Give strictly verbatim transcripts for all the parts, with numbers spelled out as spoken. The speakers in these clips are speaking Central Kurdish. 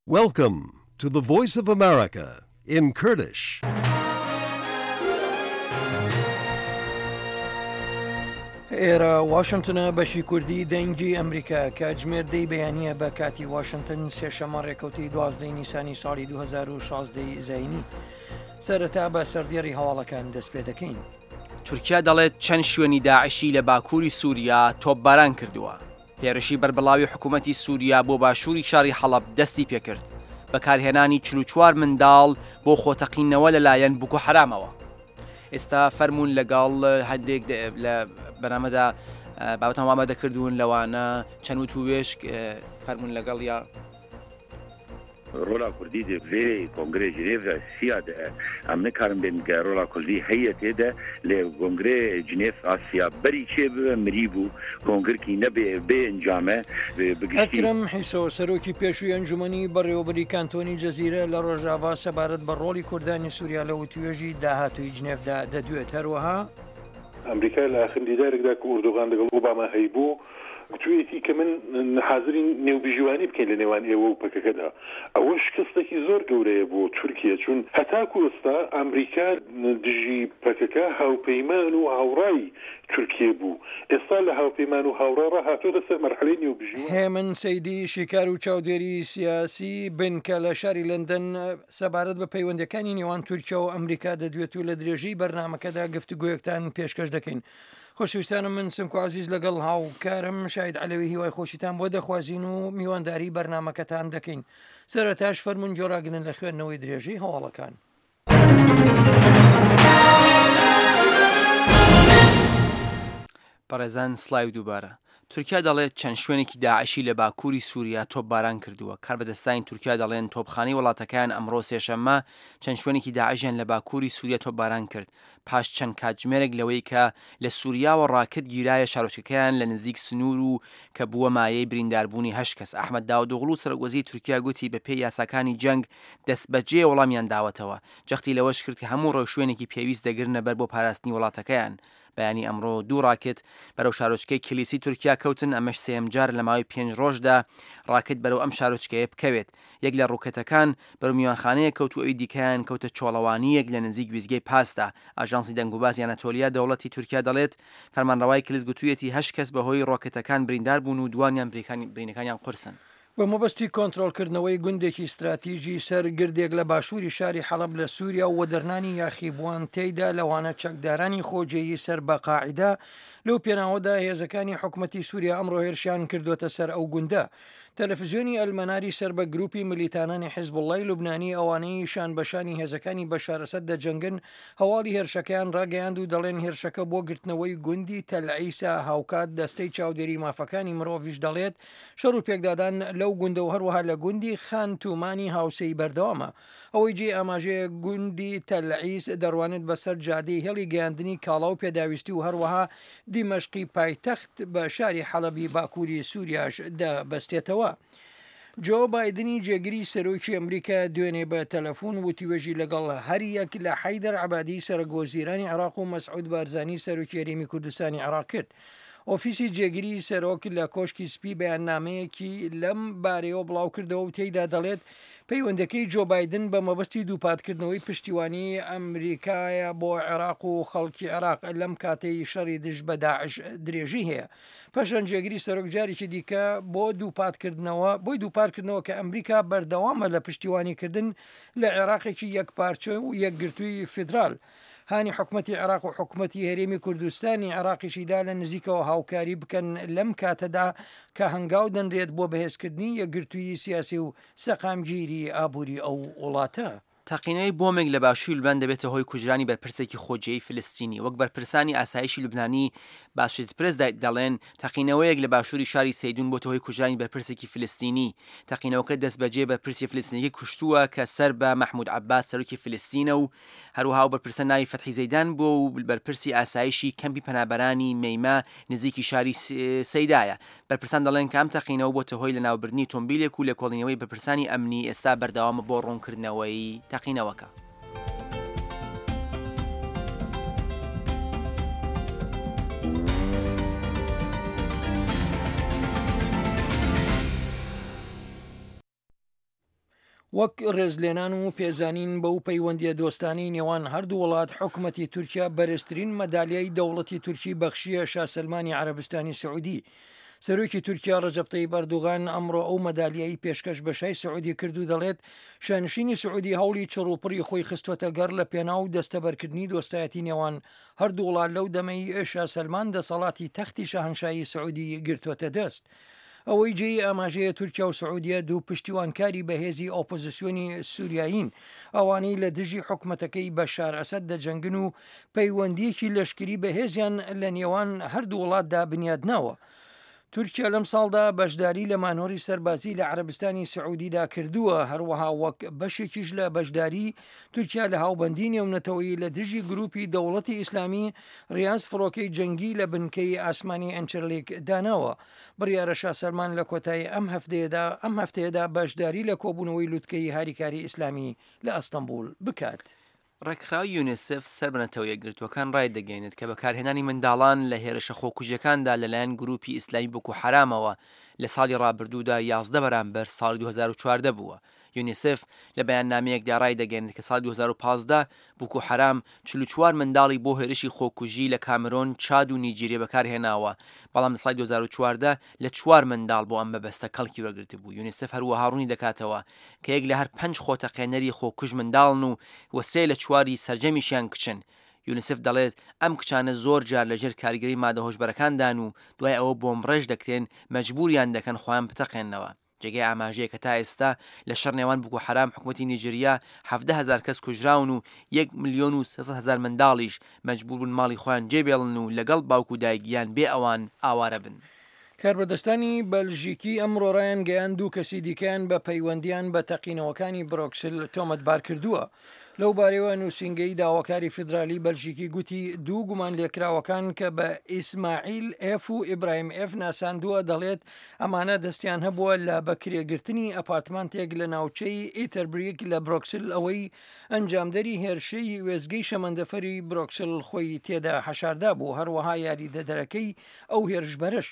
Welcome to the Voice of America in Kurdish. ئێرە واشنتنە بەشی کوردی دەنگی ئەمریکا کاتژمێر دەی بەیانییە بە کاتی واشنتن سێشەممە ڕێکەوتی دوازدەی نیسانی ساڵی دوو هەزار و شازدە ی زایینی. سەرەتا بە سەردێڕی هەواڵەکان دەست پێ دەکەین. تورکیا دەڵێت چەند شوێنی داعشی لە باکووری سووریا تۆپباران کردووە. هێرشی بەربڵاوی حکوومەتی سووریا بۆ باشووری شاری حەڵەب دەستی پێکرد. بەکارهێنانی چل و چوار منداڵ بۆ خۆتەقینەوە لەلایەن بوکو حەرامەوە. ئێستا فەرمونون لەگەڵ هەندێک لە بەرامەدا بابەتان وامە دەکردوون لەوانە چەند وت و وێشک فەرمونون لەگەڵ یا ڕۆڵا کوردی دێ ڤێ کۆنگرێ جنێڤ سیا دە ئەم نکارن بێن گە ڕۆڵا کوردی هەیە تێدە لێ کۆنگرێ جنێف ئاسیا بەری چێ ببە مری بوو کۆنگرکی نەبێ بێ ئەنجامە بگشتی. ئەکرەم حیسۆ، سەرۆکی پێشووی ئەنجومەنی بەڕێوەبەری کانتۆنی جەزیرە لە ڕۆژاڤا سەبارەت بە ڕۆڵی کوردانی سووریا لە وتووێژی داهاتووی جنێفدا دەدوێت. هەروەها. ئەمریکا لە ئاخرین دیدارێکدا کە ئوردوغان لەگەڵ ئۆباما هەیبوو، گوتوویەتی کە من حازرین نێوبژیوانی بکەین لە نێوان ئێوە و پەکەکەدا. ئەوە شکستێکی زۆر گەورەیە بۆ تورکیە، چون هەتاکو ئێستا ئەمریکا دژی پەکەکە هاوپەیمان و هاوڕای تورکیە بوو، ئێستا لە هاوپەیمان و هاوڕا ڕا هاتۆتە سەر مەرحەلەی نێوبژیوان. هێمن سەیدی، شیکار و چاودێری سیاسی بنکە لە شاری لەندەن سەبارەت بە پەیوەندییەکانی نێوان تورکیا و ئەمریکا دەدوێت و لە درێژەی بەرنامەکەدا گفتوگۆیەکتان پێشکەش دەکەین. خۆشەویستانم من سمکۆ عەزیز لەگەڵ هاوکارم شاهید عەلەوی هیوای خۆشیتان بۆ دەخوازین و میوانداری بەرنامەکەتان دەکەین. سەرەتاش فەرموون گوێڕاگرن لە خوێندنەوەی درێژەی هەواڵەکان. بەڕێزان سڵاوی دووبارە. تورکیا دەڵێت چەند شوێنێکی داعشی لە باکووری سووریا تۆپباران کردووە. کاربەدەستانی تورکیا دەڵێن تۆپخانەی وڵاتەکەیان ئەمڕۆ سێشەممە چەند شوێنێکی داعشیان لە باکووری سووریا تۆپباران کرد پاش چەند کاتژمێرێک لەوەی کە لە سووریاوە ڕاکت گیرایە شارۆچکەکەیان لە نزیک سنوور و کە بووە مایەی برینداربوونی هەشت کەس. ئەحمەد داودئۆغڵو سەرۆکوەزیری تورکیا گوتی بەپێی یاساکانی جەنگ دەستبەجێ وەڵامیان داوەتەوە. جەختی لەوەش کرد کە هەموو ڕێوشوێنێکی پێویست دەگرنە بەر بۆ پاراستنی وڵاتەکەیان. بەیانی ئەمڕۆ دوو ڕاکت بەرەو شارۆچکەی کلیسی تورکیا کەوتن، ئەمەش سێیەم جارە لە ماوەی پێنج ڕۆژدا ڕاکت بەرەو ئەم شارۆچکەیە بکەوێت. یەک لە ڕوکەتەکان بەرەو میوانخانەیەک کەوت و ئەوی دیکەیان کەوتە چۆڵەوانییەک لە نزیک ویستگەی پاسدا. ئاژانسی دەنگوباسی ئەناتۆلیا دەوڵەتی تورکیا دەڵێت، فەرمانڕەوای کلیس گوتوویەتی هەشت کەس بەهۆی ڕۆکەتەکان بریندار بوون و دووانیان برینەکانیان قورسن. بە مەبەستی کۆنترۆڵکردنەوەی گوندێکی ستراتیژی سەر گردێک لە باشووری شاری حەڵەب لە سووریا و وەدەرنانی یاخیبووان تێیدا لەوانە چەکدارانی خۆجێیی سەر بە قاعیدە، لەو پێناوەدا هێزەکانی حکومەتی سووریا ئەمڕۆ هێرشیان کردووەتە سەر ئەو گوندە. تەلەفزیۆنی ئەلمەناری سەر بە گروپی ملیتانانی حیزبوڵڵای لوبنانی ئەوانەی شان بە شانی هێزەکانی بەشار ئەسەد دەجەنگن هەواڵی هێرشەکەیان ڕاگەیاند و دەڵێن هێرشەکە بۆ گرتنەوەی گوندی تەل عیسا هاوکات دەستەی چاودێری مافەکانی مرۆڤیش دەڵێت شەڕ و پێکدادان لەو گوندە و هەروەها لە گوندی خان تومانی هاوسێی بەردەوامە. ئەوەی جێی ئاماژەیە گوندی تەل عیس دەڕوانێت بەسەر جادەی هێڵی گەیاندنی کاڵا و پێداویستی و هەروەها دیمەشقی پایتەخت بە شاری حەڵەبی باکووری سووریاش دەبەستێتەوە. جۆ بایدنی جێگری سەرۆکی ئەمریکا دوێنێ بە تەلەفۆن وتوێژی لەگەڵ هەریەک لە حەیدەر عەبادی سەرۆکوەزیرانی عێراق و مەسعود بارزانی سەرۆکی هەرێمی کوردستانی عێراق کرد. ئۆفیسی جێگری سەرۆک لە کۆشکی سپی بەیاننامەیەکی لەم بارەیەوە بڵاوکردەوە و تێیدا دەڵێت، پەیوەندەکەی جۆ بایدن بە مەبەستی دووپاتکردنەوەی پشتیوانیی ئەمریکایە بۆ عێراق و خەڵکی عێراق لەم کاتەی شەڕی دژ بە داعش درێژەی هەیە. پاشان جێگری سەرۆک جارێکی دیکە بۆ دووپاتکردنەوە بۆی دووپاتکردنەوە کە ئەمریکا بەردەوامە لە پشتیوانیکردن لە عێراقێکی یەکپارچە و یەکگرتووی فیدرال هانی حکومەتی عێراق و حکومەتی هەرێمی کوردستانی عێراقیشی دا لە نزیکەوە هاوکاری بکەن لەم کاتەدا کە هەنگاو دەنرێت بۆ بەهێزکردنی یەکگرتوویی سیاسی و سەقامگیری ئابووری ئەو وڵاتە. تەقینەوەی بۆمێک لە باشووری لوبنان دەبێتە هۆی کوژرانی بەرپرسێکی خۆجێیی فلستینی. وەک بەرپرسانی ئاسایشی لوبنانی بە ئاسۆشیتد پرێس دەڵێن، تەقینەوەیەک لە باشووری شاری سەیدون بۆتە هۆی کوژرانی بەرپرسێکی فلستینی. تەقینەوەکە دەستبەجێ بەرپرسی فلستینیەکەی کوشتووە کە سەر بە مەحمود عەباس سەرۆکی فلستینە و هەروەها ئەو بەرپرسە ناوی فەتحی زەیدان بووە و بەرپرسی ئاسایشی کەمپی پەنابەرانی مەیمە نزیکی شاری سەیدایە. بەرپرسان دەڵێن کە ئەم تەقینەوە بۆتە هۆی لەناوبردنی تۆمبیلێک و لێکۆڵینەوەی بەرپرسانی ئەمنی ئێستا بەردەوامە بۆ ڕوونکردنەوەی تەقینەوەکە. وەک ڕێزلێنان و پێزانین بەو پەیوەندییە دۆستانەی نێوان هەردوو وڵات، حکومەتی تورکیا بەرزترین مەدالیای دەوڵەتی تورکی بەخشییە شا سەلمانی عەرەبستانی سعودی. سەرۆکی تورکیا ڕەجەب تەیب ئەردوغان ئەمڕۆ ئەو مەدالیای پێشکەش بە شای سعودی کرد و دەڵێت شانشینی سعودی هەوڵی چڕوپڕی خۆی خستووەتە گەڕ لە پێناو دەستەبەرکردنی دۆستایەتی نێوان هەردوو وڵات لەو دەمەی شا سەلمان دەسەڵاتی تەختی شاهنشایی سعودی گرتووەتە دەست. ئەوەی جێی ئاماژەیە تورکیا و سعودیە دوو پشتیوانکاری بەهێزی ئۆپۆزسیۆنی سوریایین، ئەوانەی لە دژی حکومەتەکەی بەشار ئەسەد دەجەنگن و پەیوەندییەکی لەشکری بەهێزیان لە نێوان هەردوو وڵاتدا بنیادناوە. تورکیا لەم ساڵدا بەشداری لە مانۆری سەربازی لە عەرەبستانی سعودیدا کردووە، هەروەها وەک بەشێکیش لە بەشداری تورکیا لە هاوبەندی نێونەتەوەیی لە دژی گروپی دەوڵەتی ئیسلامی، ڕیاز فڕۆکەی جەنگی لە بنکەی ئاسمانی ئەنچرلیک داناوە. بڕیارە شا سەلمان لە کۆتایی ئەم هەفتەیەدا ئەم هەفتەیەدا بەشداری لە کۆبوونەوەی لوتکەی هاریکاری ئیسلامی لە ئەستەنبوڵ بکات. ڕێکخراوی یونیسف سەر بە نەتەوە یەکگرتووەکان ڕایدەگەیەنێت کە بەکارهێنانی منداڵان لە هێرشە خۆکوژیەکاندا لەلایەن گروپی ئیسلامی بۆکو حەرامەوە لە ساڵی ڕابردوودا یازدە بەرامبەر ساڵی دوو هەزار و چواردە بووە. یونیسف لە بەیاننامەیەکدا ڕایدەگەیەنێت کە ساڵی دوو هەزار و پازدە بوکو حەرام چل و چوار منداڵی بۆ هێرشی خۆکوژی لە کامرۆن، چاد و نیجیریە بەکارهێناوە، بەڵام لە ساڵی دوو هەزار و چواردە لە چوار منداڵ بۆ ئەم مەبەستە کەڵکی وەرگرتبوو. یونیسف هەروەها ڕوونی دەکاتەوە کە یەک لە هەر پەنج خۆتەقێنەری خۆکوژ منداڵن و و سێ لە چواری سەرجەمیشیان کچن. یونیسف دەڵێت ئەم کچانە زۆر جار لەژێر کاریگەری مادە هۆشبەرەکاندان و دوای ئەوە بۆمبڕێژ دەکرێن مەجبوریان دەکەن خۆیان بتەقێننەوە. جێگەی ئاماژەیە کە تا ئێستا لە شەڕ نێوان بوکو حەرام حکومەتی نیجریە حەڤدە هەزار کەس کوژراون و یەک ملیۆن و سێ سەد هەزار منداڵیش مەجبور بوون ماڵی خۆیان جێبێڵن و لەگەڵ باوک و دایک یان بێ ئەوان ئاوارە بن. کاربەدەستانی بەلژیکی ئەمڕۆ ڕایانگەیاند دوو کەسی دیکەیان بە پەیوەندییان بە تەقینەوەکانی برۆکسل تۆمەتبار کردووە. لەو بارەیەوە نووسینگەی داواکاری فیدرالی بەلژیکی گوتی دوو گومانلێکراوەکان کە بە ئیسماعیل ئێف و ئیبراهیم ئێف ناساندووە دەڵێت ئەمانە دەستیان هەبووە لە بەکرێگرتنی ئەپارتمانتێک لە ناوچەی ئیتەربریک لە برۆکسل ئەوەی ئەنجامدەری هێرشەی وێستگەی شەمەندەفەری برۆکسل خۆی تێدا حەشاردا بوو هەروەها یاریدەدەرەکەی ئەو هێرشبەرەش.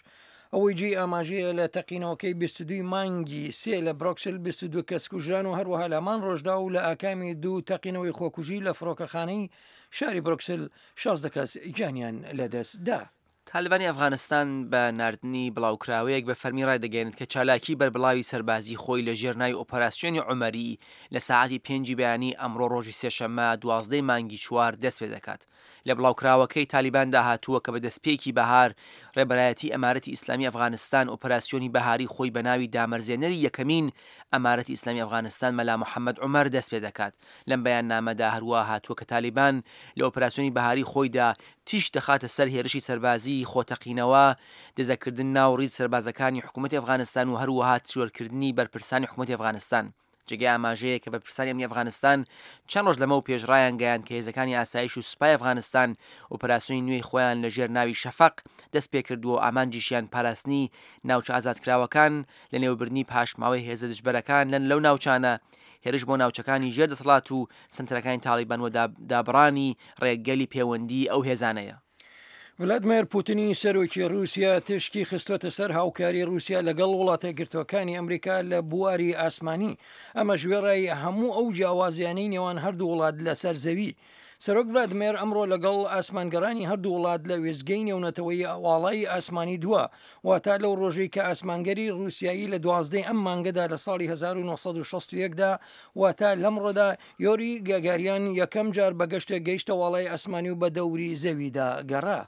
ئەوەی جێی ئاماژەیە لە تەقینەوەکەی بیست و دوو مانگی سێ لە برۆکسل بیست و دوو کەس کوژران و هەروەها لە هەمان ڕۆژدا و لە ئاکامی دوو تەقینەوەی خۆکوژی لە فڕۆکەخانەی شاری برۆکسل شازدە کەس گیانیان لەدەست دا. تالبانی ئەفغانستان بە ناردنی بڵاوکراوەیەک بە فەرمی ڕایدەگەیەنێت کە چالاکی بەربڵاوی سەربازی خۆی لە ژێر ناوی ئۆپەراسیۆنی عومەری لە ساعەتی پێنجی بەیانی ئەمڕۆ ڕۆژی سێشەممە دوازدە ی مانگی چوار دەست پێدەکات. لە بڵاوکراوەکەی تالیباندا هاتووە کە بە دەستپێکی بەهار ڕێبەرایەتی ئەمارەتی ئیسلامی ئەفغانستان ئۆپەراسیۆنی بەهاری خۆی بە ناوی دامەرزێنەری یەکەمین ئەمارەتی ئیسلامی ئەفغانستان مەلا محەمەد عومەر دەست پێدەکات. لەم بەیاننامەدا هەروەها هاتووە کە تالیبان لە ئۆپەراسیۆنی بەهاری خۆیدا تیشک دەخاتە سەر هێرشی سەربازیی خۆتەقینەوە، دزەکردن ناو ڕیز سەربازەکانی حکوومەتی ئەفغانستان و هەروەها تیرۆرکردنی بەرپرسانی حکوومەتی ئەفغانستان. جێگەی ئاماژەیە کە بەرپرسانی ئەمنی ئەفغانستان چەند ڕۆژ لەمەو پێش ڕایانگەیاند کە هێزەکانی ئاسایش و سوپای ئەفغانستان ئۆپەراسیۆنی نوێی خۆیان لە ژێر ناوی شەفەق دەست پێکردووە و ئامانجیشیان پاراستنی ناوچە ئازادکراوەکان، لەنێوبردنی پاشماوەی هێزە دژبەرەکان لەو ناوچانە، هێرش بۆ ناوچەکانی ژێر دەسەڵات و سەنتەرەکانی تاڵیبان و دابڕانی ڕێگەلی پێوەندیی ئەو هێزانەیە. ڤلادمێر پوتنی سەرۆکی رووسیا تیشکی خستووەتە سەر هاوکاری رووسیا لەگەڵ وڵاتە یەکگرتووەکانی ئەمریکا لە بواری ئاسمانی، ئەمەش وێڕای هەموو ئەو جیاوازیانەی نێوان هەردوو وڵات لەسەر زەوی. سەرۆک ڤلادمێر ئەمڕۆ لەگەڵ ئاسمانگەڕانی هەردوو وڵات لە وێستگەی نێونەتەوەیی واڵای ئاسمانی دوا، واتا لەو ڕۆژەی کە ئاسمانگەری ڕووسیایی لە دوازدە ئەم مانگەدا لە ساڵی هەزار و نۆ سەد و شەست و یەک دا واتا لەمڕۆدا یۆری گاگاریان یەکەم جار بە گەشتێک گەیشتە واڵای ئاسمانی و بە دەوری زەویدا گەڕا.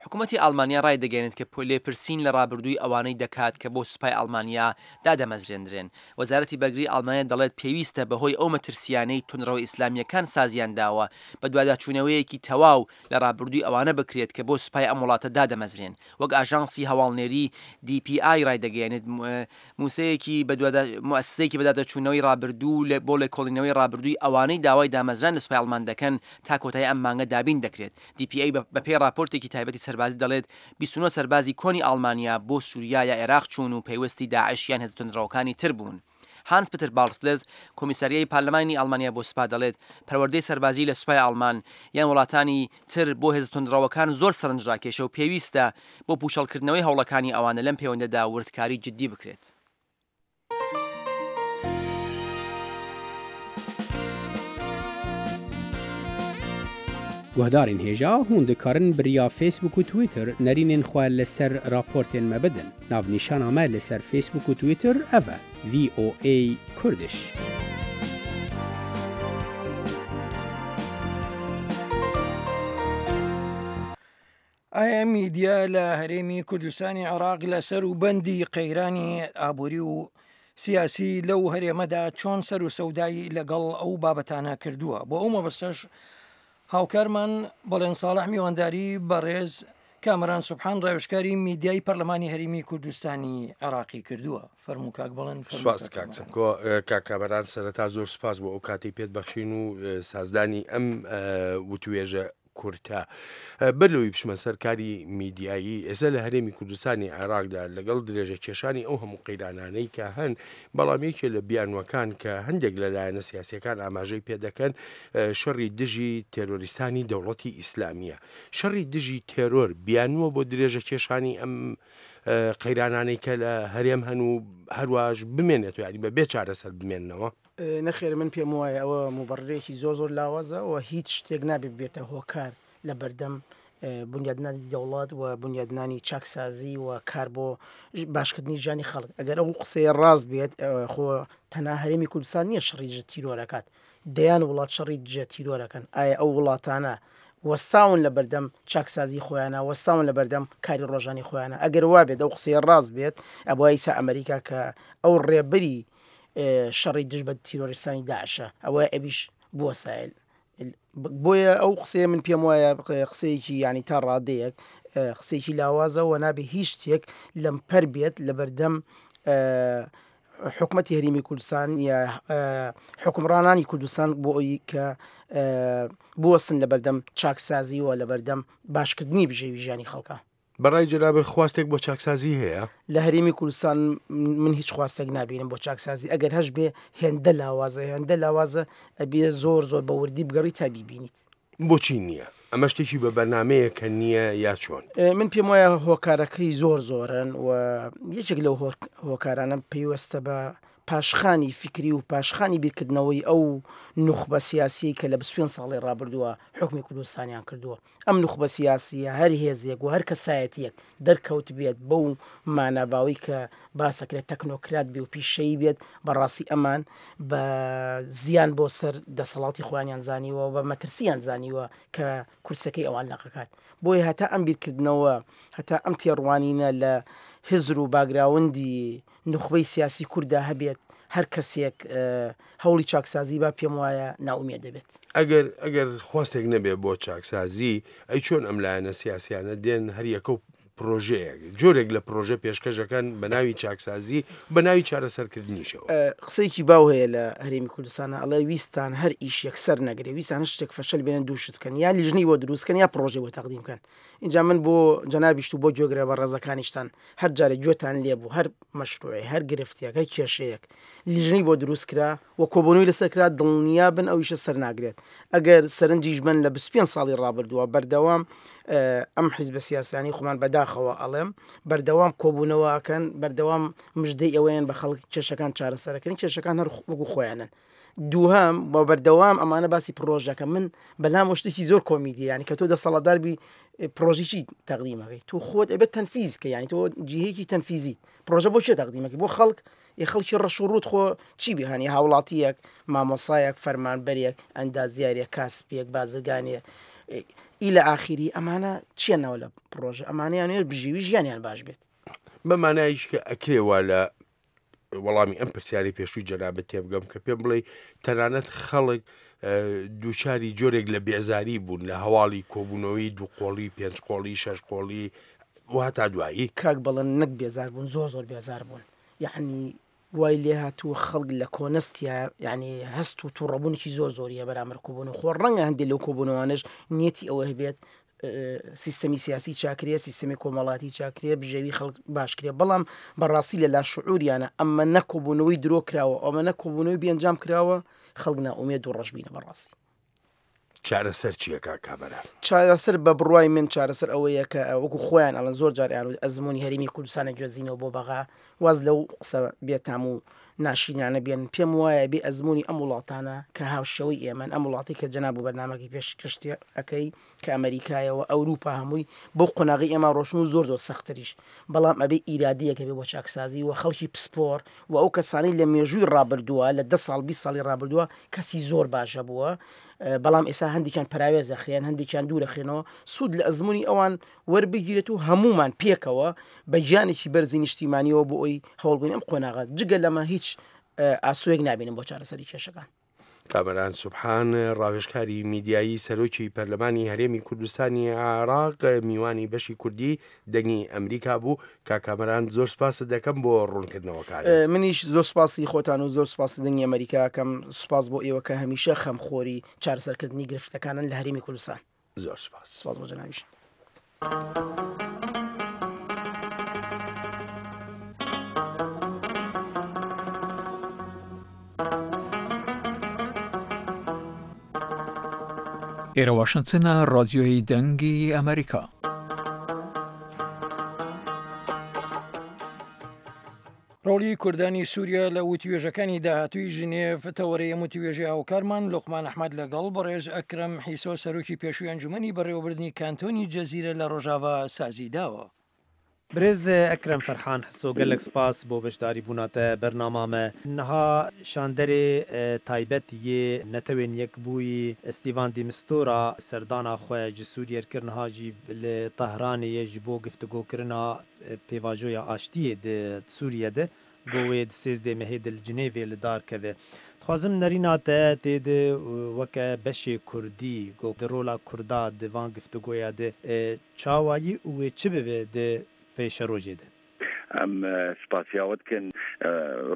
حکومەتی ئاڵمانیا ڕایدەگەیەنێت کە لێپرسین لە ڕابردووی ئەوانەی دەکات کە بۆ سوپای ئاڵمانیا دادەمەزرێندرێن. وەزارەتی بەرگری ئاڵمانیا دەڵێت پێویستە بەهۆی ئەو مەترسییانەی توندڕەوە ئیسلامییەکان سازیان داوە، بەدواداچوونەوەیەکی تەواو لە ڕابردووی ئەوانە بکرێت کە بۆ سوپای ئەم وڵاتە دادەمەزرێن. وەک ئاژانسی هەواڵنێری دی پی ئای ڕایدەگەیەنێت موسەیەکی موئەسسەیەکی بەدادەچوونەوەی ڕابردوو بۆ لێکۆڵینەوەی ڕابردووی ئەوانەی داوای دامەزران لە سوپای ئەڵمان دەکەن تا کۆتایی ئەم مانگە دابین دەکرێت. دی پی ئەی بەپێی ڕاپۆرتێکی تایبەتی سەربازی دەڵێت بیست و نۆ سەربازی کۆنی ئاڵمانیا بۆ سوریا یا ئێراق چوون و پەیوەستی داعش یان هێزە توندڕەوەکانی تر بوون. هانس پتر باڵتلز، کۆمیساریای پارلمانی ئاڵمانیا بۆ سوپا دەڵێت پەروەردەی سەربازی لە سوپای ئاڵمان یان وڵاتانی تر بۆ هێزە توندڕەوەکان زۆر سەرنجڕاکێشە و پێویستە بۆ پووچەڵکردنەوەی هەوڵەکانی ئەوانە لەم پێوەندەدا وردکاری جددی بکرێت. Guhdarên hêja hûn dikarin bi riya Facebook û Twitter nerînên xwe li ser raportên me bidin. Navnîşana me li ser Facebook û Twitter ev e: V O A Kurdish. ئایا میدیا لە هەرێمی کوردستانی عێراق لەسەر و بەندی قەیرانی ئابووری و سیاسی لەو هەرێمەدا چۆن سەر و سەودایی لەگەڵ ئەو بابەتانە کردووە؟ بۆ ئەو مەبەستەش هاوکارمان بەڵێن ساڵح میوانداری بەڕێز کامەران سوبحان ڕاوێژکاری میدیای پەرلەمانی هەرێمی کوردستانی عێراقی کردووە. فەرموو کاک بەڵێن. سپاس کاک سمکۆ. کاک کامەران سەرەتا زۆر سپاس بۆ ئەو کاتەی پێت بەخشین و سازدانی ئەم وتوێژە کورتە. بەر لەوەی بچمە سەر کاری میدیایی، ئێستا لە هەرێمی کوردستانی عێراقدا لەگەڵ درێژە کێشانی ئەو هەموو قەیرانانەی کە هەن، بەڵام یەکێ لە بیانوەکان کە هەندێک لە لایەنە سیاسیەکان ئاماژەی پێدەکەن شەڕی دژی تێرۆریستانی دەوڵەتی ئیسلامیە. شەڕی دژی تێرۆر بیانوە بۆ درێژە کێشانی ئەم قەیرانانەی کە لە هەرێم هەن و هەرواش بمێنێتەوە، یعنی بە بێ چارەسەر بمێننەوە. نەخێر، من پێم وایە ئەوە مبەڕێکی زۆر زۆر لاوازە و هیچ شتێک نابێت بێتە هۆکار لە بەردەم بنیادنانی دەوڵەت و بنیادنانی چاکسازی و کار بۆ باشکردنی ژیانی خەڵک. ئەگەر ئەو قسەیە ڕاست بێت، خۆ تەنها هەرێمی کوردستان نییە شەڕی دژە تیرۆرەکات، دەیان وڵات شەڕی دژە تیرۆرەکەن. ئایا ئەو وڵاتانە وەستاون لە بەردەم چاکسازی خۆیانە، وەستاون لە بەردەم کاری ڕۆژانی خۆیانە؟ ئەگەر وا بێت ئەو قسەیە ڕاست بێت، ئەبووە ئیسا ئەمریکا کە ئەو ڕێبەری شەڕی دژ بە تیرۆریستانی داعشە، ئەوە ئەبیش بووە سایل. بۆیە ئەو قسەیە من پێم وایە قسەیەکی ینی تا ڕادەیەک قسەیەکی لاوازە و نابێ هیچ شتێک لەمپەر بێت لە بەردەم حکومەتی هەرێمی کوردستان یا حکومڕانانی کوردستان بۆ ئەوەی کە بوەستن لە بەردەم چاکسازی و لە بەردەم باشکردنی بژێوی ژیانی خەڵکە. بەڕای جەنابت خواستێک بۆ چاکسازی هەیە؟ لە هەرێمی کوردستان من هیچ خواستێک نابینم بۆ چاکسازی. ئەگەر هەش بێ هێندە لاوازە، هێندە لاوازە ئەبێ زۆر زۆر بە وردی بگەڕی تا بیبینیت. بۆچی نییە؟ ئەمە شتێکی بە بەرنمەیە کە نییە یا چۆن؟ من پێم وایە هۆکارەکەی زۆر زۆرن و یەکێک لەو هۆکارانە پەیوەستە بە پاشخانی فکری و پاشخانی بیرکردنەوەی ئەو نوخبە سیاسی کە لە بیست و پێنج ساڵی ڕابردووە حکومی کوردستانیان کردووە. ئەم نوخبە سیاسیە هەر هێزێک و هەر کەسایەتیەک دەرکەوت بێت بەو ماناباوی کە باسەکرێت تەکنۆکرات بێ و پیشەیی بێت، بەڕاستی ئەمان بە زیان بۆ سەر دەسەڵاتی خۆیانیان زانیوە و بە مەترسیان زانیوە کە کورسەکەی ئەوان لەقەکات. بۆیە هەتا ئەم بیرکردنەوە، هەتا ئەم تێڕوانینە لە هزر و باگراوندی نوخبەی سیاسی کووردا هەبێت، هەر کەسێک هەوڵی چاکسازی با پێم وایە ناومێ دەبێت. ئەگەر ئەگەر خواستێک نەبێت بۆ چاکسازی، ئەی چۆن ئەم لایەنە سیاسیانە دێن هەر یەکە و پرۆژەیەک جۆرێک لە پرۆژە پێشکەشەکان بە ناوی چاکسازی بە ناوی چارەسەرکردنیشەوە؟ قسەیەکی باو هەیە لە هەرێمی کوردستانە، ئەڵێ ویستان هەر ئیش یەکسەر نەگرێ، ویستان هەر شتێک فەشەل بێنن دوو شت بکەن، یا لیژنەی بۆ دروست بکەن یا پرۆژەی بۆ تەقدیم بکەن. اینجا من بۆ جەنابیشت و بۆ گوێگرە بە ڕێزەکانیشتان هەر جارێک گوێتان لێبوو هەر مەشروعێ، هەر گرفتێک، هەر کێشەیەک لیژنەی بۆ دروست کرا و کۆبوونەوەی لەسەر کرا، دڵنیا بن ئەو ئیشە سەر ناگرێت. ئەگەر سەرنجیش بن لە بیست و پێنج ساڵی ڕابردووە بەردەوام ئەم حیزبە سیاسیانی خۆمان بەداخەوە ئەڵێم بەردەوام کۆبوونەوەکەن، بەردەوام مژدەی ئەوەیان بە خەڵک کێشەکان چارەسەرەکەن، کێشەکان هەر وەکو خۆیانن. دووهەم بۆ بەردەوام ئەمانە باسی پرۆژەکە، من بەلام شتێکی زۆر کۆمیدیە، یعنی کە تۆ دەسەڵاتدار بی پرۆژێکی تەقدیمەکەی تۆ خۆت ئەبێت تەنفیز بکەی، یعنی تۆ جیهێکی تەنفیزیت. پرۆژە بۆ چێ تەقدیمەکەی؟ بۆ خەڵک. ێ خەڵکی ڕەش و ڕووت خۆ چی بێهانی؟ هاوڵاتیەک، مامۆسایەک، فەرمانبەرێک، ئەندازیارێک، کاسپێک، بازرگانێک ئیلە ئاخیری، ئەمانە چییە ناوە لە پرۆژە؟ ئەمانەیان بژێوی ژیانیان باش بێت. بە مانایش کە ئەکرێ وا لە وەڵامی ئەم پرسیاری پێشووی جەنابت تێبگەم کە پێم بڵێ تەنانەت خەڵک دووچاری جۆرێک لە بێزاری بوون لە هەواڵی کۆبوونەوەی دوو قۆڵی، پێنج قۆڵی، شەش قۆڵی و هەتا دوایی. کاک بەڵێن نەک بێزار بوون، زۆر زۆر بێزار بوون. یعنی وای لێ هاتووە خەڵک لە کۆنەستیا، یعنی هەست و تووڕەبوونێکی زۆر زۆریە بەرامبەر کۆبوونەوە. خۆ ڕەنگە هەندێک لەو کۆبوونەوانەش نیەتی ئەوە هەبێت سیستەمی سیاسی چاکرێ، سیستەمی کۆمەڵاتی چاکرێ، بژێوی خەڵک باشکرێ، بەڵام بەڕاستی لە لاشعوریانە ئەمە نەکۆبوونەوەی درۆ کراوە، ئەمە نەکۆبوونەوەی بێئەنجام کراوە، خەڵک نائومێد و ڕەشبینە بەڕاستی. چارەسەر چییە کاک کامەران؟ چارەسەر بە بڕوای من چارەسەر ئەوەیە کە وەکو خۆیان ئەڵەن زۆر جار ئەیان وت ئەزمموی هەرێمی کوردستانە گوێزینەوە بۆ بەغا، واز لەو قسە بێتام و ناشرینانە بێن. پێم وایە بێ ئەزمموی ئەم وڵاتانە کە هاوشێوەی ئێمەن، ئەم وڵاتی کە جەناب و بەرنامەکەی پێشکەشتی ئەەکەی کە ئەمریکایەوە ئەوروپا هەمووی بۆ قۆناغی ئێمە ڕۆشن و زۆر زۆر سەختریش، بەڵام ئەبێ ئیرادەیەکە بێ بۆ چاکسازی و خەڵکی پسپۆر و ئەو کەسانی لە مێژووی ڕابردووە لە دە ساڵ بیست ساڵی ڕابردووە کەسی زۆر باشە بووە، بەڵام ئێستا هەندێکیان پەراوێز دەخرێن، هەندێکیان دوور دەخرێنەوە. سوود لە ئەزمموی ئەوان وەربگیرێت و هەمومان پێکەوە بە گیانێکی بەرزی نیشتیمانیەوە بۆ ئەوی هەوڵبووین ئەم قۆناغە. جگە لەمە هیچ ئاسوێک نابینم بۆ چارەسەری کێشەکان. کامەران سوبحان، ڕاوێژکاری میدیایی سەرۆکی پەرلەمانی هەرێمی کوردستانی عێراق، میوانی بەشی کوردی دەنگی ئەمریکا بوو. کا کامەران زۆر سپاست دەکەم بۆ ڕوونکردنەوەکان. منیش زۆر سپاسی خۆتان و زۆر سپاسی دەنگی ئەمریکاکەم. سپاس بۆ ئێوە کە هەمیشە خەمخۆری چارەسەرکردنی گرفتەکانن لە هەرێمی کوردستان. زۆر سپاس. سپاس بۆ جەنابیش. ئێرە واشنگتنە، رادیۆی دەنگی ئەمریکا. ڕۆڵی کوردانی سووریا لە وتوێژەکانی داهاتووی ژنێڤ تەوەرەی ئەم وتوێژەی هاوکارمان لوقمان ئەحمەد لەگەڵ بەڕێز ئەکرەم حیسۆ سەرۆکی پێشووی ئەنجومەنی بەڕێوەبردنی کانتۆنی جەزیرە لە ڕۆژاڤا سازی داوە. برێز ئەکرەم فەرحان حسۆ، گەلێک سپاس بۆ بەشداری بووناتە بەرنامامە. نەها شاندەرێ تایبەت یê نەتەوێن یەکبووی ستیڤان دیمستۆرا سەردانا خوێ ji Sûriye kir، niha jî li Tehranê ye ji bo giftigokirina pêvajoya aştiyê di Sûriye de got wê di sêzdeh mehê de li Cinêvê li dar keve. Dixwazim nerîna te tê de weke beşê Kurdî got di rola Kurda di van giftigoya de çawayî û wê çi bibe di pêşerojê de؟ ئەم سپاسیاوە بکەن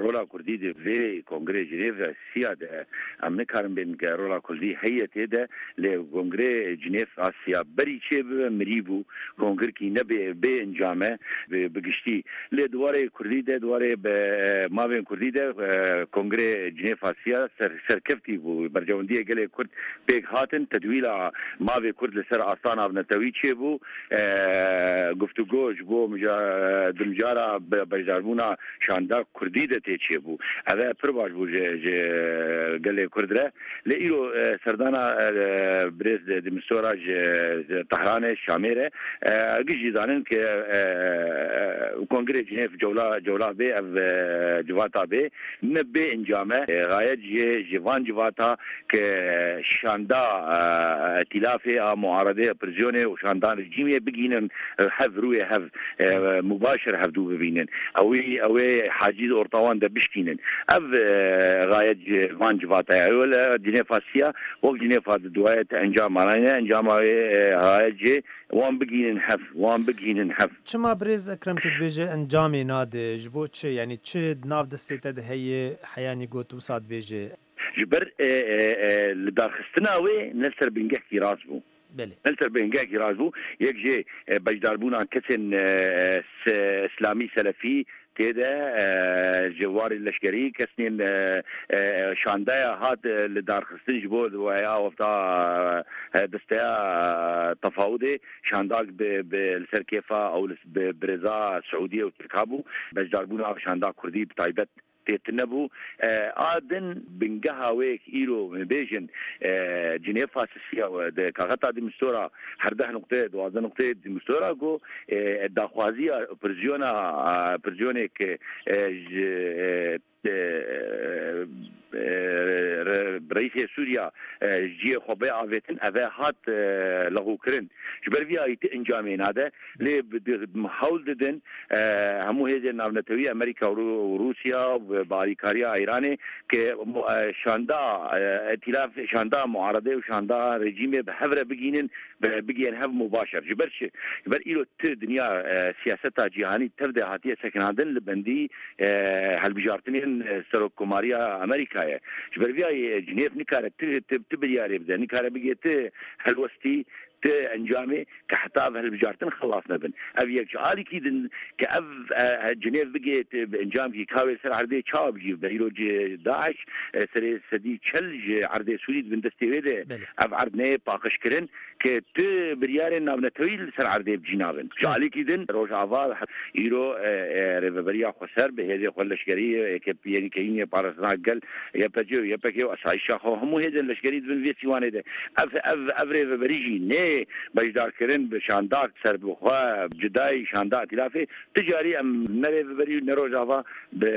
ڕۆلا کوردی di vê kongrê Cinêv siya de em nikarin bên ke rola Kurdî heye tê de lê kongrê Cinêv a siya berî çê bibe mirî bû, kongirkî nebe bê encame bi giştî. Lê diwarê Kurdî de diwarê mavên Kurdî de kongrê Cinêv a siya serkeftî bû. Berjewendiyê gelê Kurd pêk hatin, tedwîla mavê Kurd li ser asta navnetewî çêbû, guftugo ji bo di mijara بەشداربوونا شاندا کوردی دە تێ چێبوو. ئەvە پڕ باش بوو ji gelê Kurd re. Lê îro serdana birêz Dimistora ji Tehranê Şamê re giş jî zanin ke kongrê Cinêv cewla cewla bê ev civata bê ne bê encame gayet ji ji van civata ke şanda îtilafê a muaredê pirzyonê û şanda rejîmê bigînin hev rûyê hev mubaşir hevdû ببینن ئەوی ئەوێ حاجیز ئۆرتاوان دە بشکینن. ئەv غایەت van civata ye wele Cinêva siya wek Cinêva di duayê te encama ne encama gayet jê wan bigînin hev wan bigînin hev. Çima birêz Ekrem tu dibêje encamê nade ji bo çi yanî çi nav destê te de heye heyanî got wisa dibêje? Ji ber li darxistina wê ne ser bingehkî rast bû. Li ser bingehekî rast bû. Yek jê beşdarbûna kesên İslamî selefî tê de ji warê leşkerî kesên şandaya hat li darxistin ji bo ya wexta desteya tefawudê şandak bi li ser kêfa ew bi birêza Siûdiye û Tirka bû. Beşdarbûna şanda Kurdî bi taybet tê nebû. A din bingeha wê îro bêjin Cinêva siya di kaxeta Dimistora herdeh nuqte duwazdeh nuqte Dimistora got daxwaziya pirzyona pirzyonêk ji reîsê Sûriya ciyê xwe bê avêtin ev hat lexûkirin. Ji ber vî ayî ti encamê nade lê hewl didin hemû hêzên navnetewî Amerîka û Rûsya bi alîkariya Îranê ke şanda îtilaf şanda muaredê û şanda rejîmê bi hev re bigînin bigihên hev mubaşir. Ji ber çi? Ji ber îro ti dinya siyaseta cîhanî tev de hatiye sekinandin li bendî hilbijartinên serokkomariya Amerîkayê. Ji ber vî ayî Cinêv nikare ti ti biryarê bide, nikare bigê ti helwestî تێ ئەنجامێ کە حتا ئەڤ هەلبژارتن خەڵاس نەبن ئەڤ یەک ji alîkî din کە ئەڤ جنێف بگێت bi encamkî kawê ser erdê çawa bijî be îro Daeş serê sedî çel ji erdê Sûrî di bin destê wê de ev erd neyê paqijkirin ke tu biryarên navnetewî li ser erdê bicî nabin ji alîkî din Rojava îro rêveberiya xweser bi hêzê xwe leşkerî yekînê parastina gel YPG û YPG û asayîşa xwe hemû hêzên leşkerî dibin vê sîwanê de ev ev ev rêveberî jî nê beşdarkirin bi şandak serbixwe cidayî şanda îtîlafê ti carî em ne rêveberî û ne Rojava bi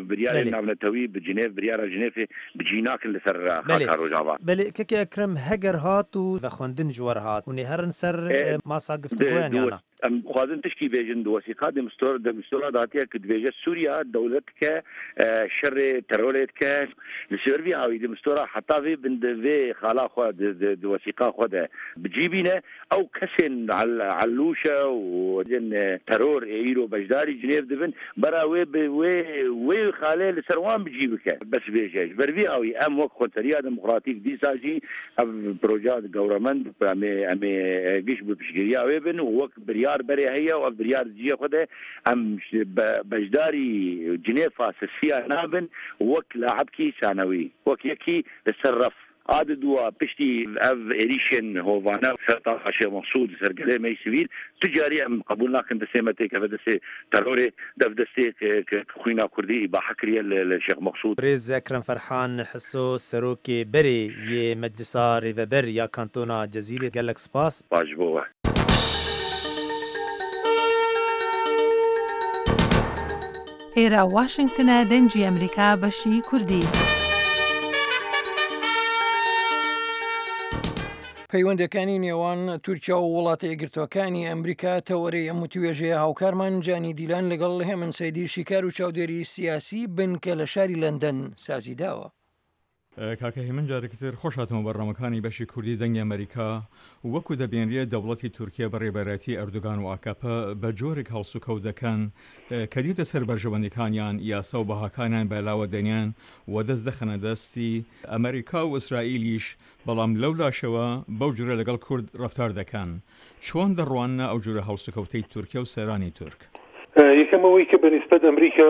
biryarên navnetewî bi Cinêv biryara Cinêvê bi cî nakin li ser xaka Rojava. Belê keke Ekrem heger hat û vexwendin ji wer hat û nêherin ser masa giftigoyan yana. Em dixwazin tişkî bêjin di wesîqa de Mistura hatiye ku dibêje Sûriya dewlet dike şerê terorê dike li ser vî awî de Mistura heta vê bin vê xala xwe di wesîqa xwe de bi cî bîne ew kesên elûşe û teror ê îro beşdarî Cinêv dibin bera wê bi wê wê xalê li ser wan bi cî bike bes bêje ji ber vî awî em wek Xweseriya Demokratîk dîsa jî ev proja gewremend em ê em ê giş bi piştgiriya wê bin û wek biryar berê heye û ev biryar ciyê xwe de em beşdarî Cinêva sisiya nabin wek laebkî sanewî wek yekî li ser ref عاد دوا پشتی ev êrîşên hovane ser taxa Şêx Meqsûd ser gelê me sivîl tu carî em qebûl nakin destê me têkeve destê terorê dev destê xwîna Kurdî îbahe kiriye li Şêx Meqsûd. Rêz Ekrem Ferhan Hiso Serokê Berê yê Meclisa Rêveber ya Kantona Cezîrê gelek spas. Baş bo we. ئێرە واشنگتنە دەنگی ئەمریکا بەشی کوردی. پەیوەندەکانی نێوان تورکیا و وڵاتە یەکگرتووەکانی ئەمریکا تەوەرەی ئەم وتوێژەیە هاوکارمان جانی دیلان لەگەڵ هێمن سەیدی شیکار و چاودێری سیاسی بنکە لە شاری لەندەن سازی داوە. کاکە هێمن جارێکی تر خۆش هاتمە بەرنامەکانی بەشی کوردی دەنگی ئەمریکا وەکو دەبێنرێت دەوڵەتی تورکیا بە ڕێبەرایەتی ئەردوگان و ئاکاپە بە جۆرێک هەڵسوکەوت دەکەن کە دێتە سەر بەرژەوەندیەکانیان یاسا و بەهاکانیان بەلاوە دەنیان و دەست دەخەنە دەستی ئەمریکا و ئیسرائیلیش بەڵام لەو لاشەوە بەو جورە لەگەڵ کورد ڕەفتار دەکەن. چۆن دەڕواننە ئەو جورە هەڵسوکەوتەی تورکیا و سەرانی تورک؟ یەکەم ئەوەی کە بەنیسبەت ئەمریکا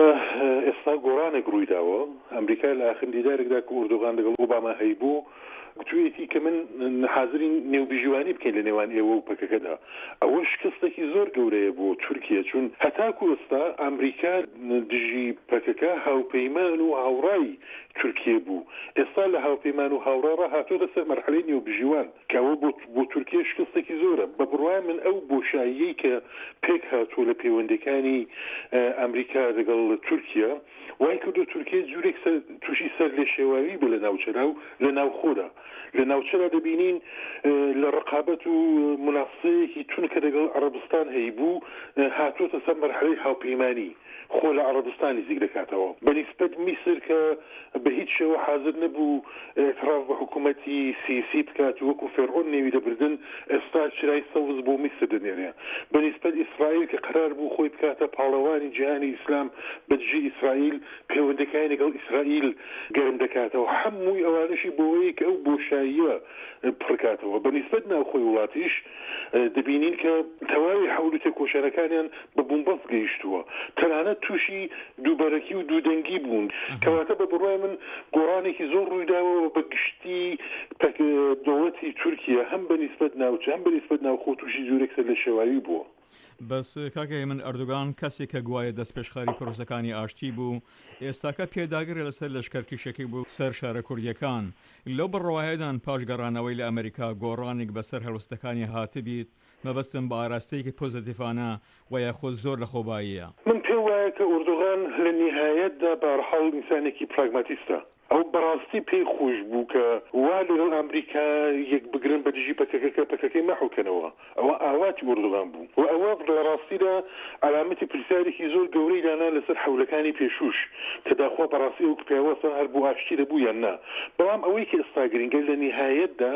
ئێستا گۆڕانێک ڕووی داوە. ئەمریکا لە ئاخرین دیدارێکدا کە ئوردوغان لەگەڵ ئۆباما هەیبوو گوتوویەتی کە من حازرین نێوبژیوانی بکەین لە نێوان ئێوە و پەکەکەدا. ئەوە شکستێکی زۆر گەورەیە بۆ تورکیا، چون هەتاکو ئێستا ئەمریکا دژی پەکەکە هاوپەیمان و هاوڕای تورکیە بوو. ئێستا لە هاوپەیمان و هاوڕا هاتۆتە سەر مەرحەلەی نێوبژیوان کە ئەوە بۆ تورکیا شکستێکی زۆرە. بە بڕوای من ئەو بۆشاییەی کە پێک هاتووە لە پەیوەندەکانی ئەمریکا لەگەڵ تورکیا وای کردو تورکیا جورێک تووشی سەر لێشێواوی بوو لە ناوچەدا و لە ناوخۆدا. لە ناوچەدا دەبینین لە ڕقابەت و منافسەیەکی تون کە لەگەڵ عەرەبستان هەیبوو هاتووەتە سەر مەرحەلەی هاوپەیمانی خۆ لە عەرەبستان نزیک دەکاتەوە. بەنیسبەت میسر کە بە هیچ شێوە حاضر نەبوو اعتراف بە حکوومەتی سیسی بکات وەکو فێرعۆن نێوی دەبردن، ئێستا چرای سەوز بۆ میسر دەنێرێ. بەنیسبەت ئیسرائیل کە قرار بوو خۆی بکاتە پاڵەوانی جیهانی ئیسلام بە دژی ئیسرائیل، پەیوەندەکانی لەگەڵ ئیسرائیل گەرم دەکاتەوە. هەمووی ئەوانەشی بۆوەیە کە ئەو بۆشاییە پڕکاتەوە. بەنیسبەت ناوخۆی وڵاتیش دەبینین کە تەواوی حەول و تێکۆشانەکانیان بە بومبەست گەیشتووە، تەنانەت تووشی دووبەرەکی و دوودەنگی بوون. کەواتە بە بڕوای من گۆڕانێکی زۆر ڕوویداوە بە گشتی دەوڵەتی تورکیا هەم بە نیسبەت ناوچە هەم بە نیسبەت ناوخۆ تووشی جورێک سەر لە شێواوی بووە. بەس کاکە من ئەردوگان کەسێک کە گوایە دەستپێشخەری پرۆسەکانی ئاشتی بوو، ئێستاکە پێداگرە لەسەر لەشکەرکیشەکەی بوو سەر شارە کوردیەکان. لەو بڕوایەدان پاش گەڕانەوەی لە ئەمریکا گۆڕانێک بەسەر هەڵوستەکانی هاتبیت، مەبەستم بە ئاراستەیەکی پۆزیتیفانە و یاخود زۆر لە خۆباییە. من پێم وایە کە ئوردوغان لە نیهایەتدا بەهەرحاڵ ئینسانێکی پراگماتیستە. ئەو بەڕاستی پێی خۆش بوو کە وا لەگەڵ ئەمریکا یەک بگرن بە دژی پەکەکە پەکەکەی مەحوکەنەوە. ئەوە ئاواتی ئوردوغان بوو و ئەوە لە ڕاستیدا علامەتی پرسیارێکی زۆر گەورەی دانا لەسەر حەولەکانی پێشوش کە داخوا بەڕاستی ئەو پیاوەسان هەر بۆ ئاشتی دەبوو یان نا. بەڵام ئەوەی کە ئێستا گرنگە لە نیهایەتدا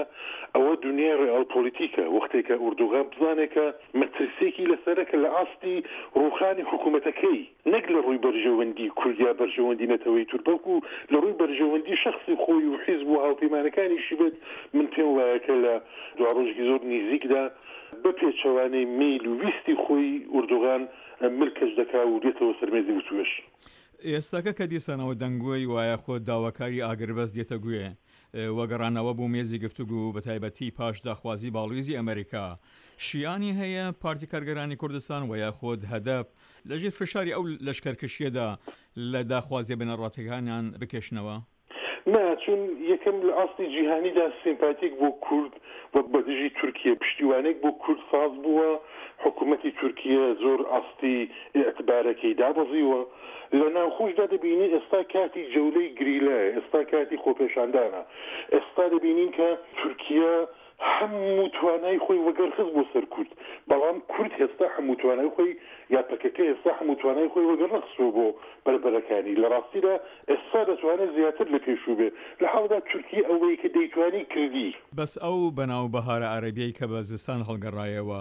ئەوە دنیای ڕئال پۆلیتیکە. وەختێکە ئوردوغان بزانێت کە مەترسیەکی لەسەرە کە لە ئاستی ڕووخانی حکوومەتەکەی نەک لە ڕووی بەرژەوەندی کوردیا بەرژەوەندی نەتەوەی تورک، بەڵکو لە ڕووی بەرژەوەندی بەرژەوەندی شەخسی خۆی و حیزب و هاوپەیمانەکانیشی بێت، من پێم وایە کە لە دواڕۆژێکی زۆر نیزیکدا بە پێچەوانەی مەیل و ویستی خۆی ئوردوغان ملکەچ دەکا و دێتەوە سەر مێزی وتوێژ. ئێستاکە کە دیسانەوە دەنگۆی وایە خۆ داواکاری ئاگربەست دێتە گوێ و گەڕانەوە بۆ مێزی گفتوگو بەتایبەتی پاش داخوازی باڵویزی ئەمریکا شیانی هەیە پارتی کارگەرانی کوردستان و یاخود هەدەپ لەژێر فشاری ئەو لەشکەرکشیەدا لە داخوازیە بنەڕەتیەکانیان بکێشنەوە؟ نا، چون یەکەم لە ئاستی جیهانیدا سیمپاتیک بۆ کورد و بە دژی تورکیە پشتیوانێک بۆ کورد ساز بووە، حکوومەتی تورکیە زۆر ئاستی ئیعتبارەکەی دابەزیوە. لە ناوخۆشدا دەبینین ئێستا کاتی جەولەی گریلایە، ئێستا کاتی خۆپێشاندانە، ئێستا دەبینین کە تورکیە هەموو توانای خۆی وەگەرخست بۆ سەر کورد، بەڵام کورد هێستا هەموو توانای خۆی یا پەکەکە هێستا هەموو توانای خۆی وەگەرنەخستووە بۆ بەربەرەکانی، لە ڕاستیدا ئێستا دەتوانێت زیاتر لە پێشوو بێ، لە حاڵدا تورکیە ئەوەی کە دەیتوانی کردی. بەس ئەو بەناو بەهارە عەرەبیەی کە بە زستان هەڵگەڕایەوە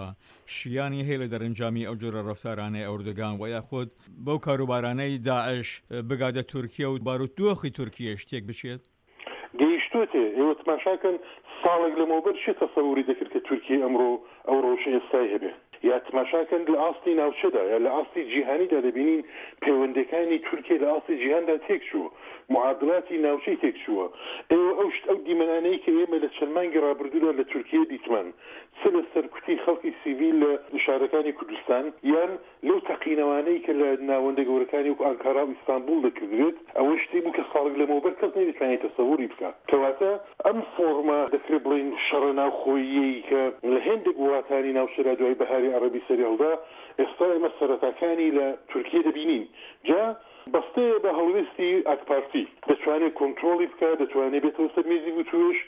شیانی هەیە لە دەرەنجامی ئەو جۆرە ڕەفتارانەی ئەوردوگان وە یاخود بەو کاروبارانەی داعش بگاتە تورکیە و بارودۆخی تورکیەش تێک بچێت؟ گەیشتۆتێ، ئێوە تماشا کەن ساڵێک لەمەوبەر کێ تەسەوری دەکرد کە تورکیە ئەمڕۆ ئەو ڕەوشە ئێستای هەبێ؟ یا تماشا کەن لە ئاستی ناوچەدا یا لە ئاستی جیهانیدا دەبینین پەیوەندیەکانی تورکیە لە ئاستی جیهاندا تێکچووە، معادلاتی ناوچەی تێکچووە. ئێوە ئەو شت ئەو دیمەنانەی کە ئێمە لە چەند مانگی ڕابردوودا لە تورکیە دیتمان چ لە سەرکوتی خەڵکی سیڤیل لە شارەکانی کوردستان یان لەو تەقینەوانەی کە لە ناوەندە گەورەکانی وەکو ئانکارا و ئیستانبوڵ دەکردرێت، ئەوە شتێک بوو کە ساڵێک لەمەوبەر کەس نەیدەتوانی تەسەوری بکا. کەواتە ئەم فۆڕمە دەکرێت بڵێین شەڕە ناوخۆییەی کە لە هێندێک وڵاتانی ناوچەدا دوای بەهاری عەڕەبی سەریهەڵدا، ئێستا ئێمە سەرەتاکانی لە تورکیە دەبینین. جا بەستەیە بە هەڵوێستی ئاکپارتی. دەتوانێت کۆنترۆڵی بکا، دەتوانێت بێتەوە سەر مێزی وتووێژ،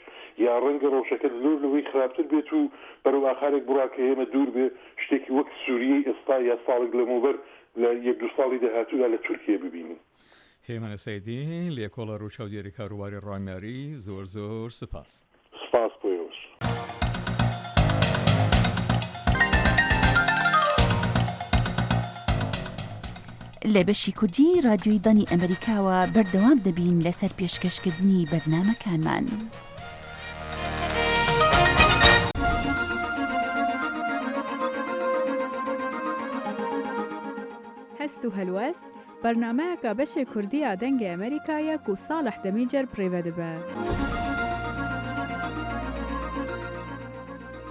یا ڕەنگە ڕەوشەکە زۆر لەوەی خراپتر بێت و بەرەو ئاقارێک بڕوا کە ئێمە دوور بێ شتێکی وەک سوریەی ئێستا یا ساڵێک لەمەوبەر لە یەک دوو ساڵی داهاتوودا لە تورکیە ببینین. هێمن سەیدی، لێکۆڵەر و چاودێری کاروباری ڕامیاری، زۆر زۆر سپاس. سپاس بۆ ئێوەش. لە بەشی کوردی رادیۆی دەنگی ئەمەریکاوە بەردەوام دەبین لەسەر پێشکەشکردنی بەرنامەکانمان. هەست و هەلوەست بەرنامەیەکە بەشێ کوردیە دەنگێ ئەمریکایە کو ساڵح دەمیجەر پرێڤە دبە.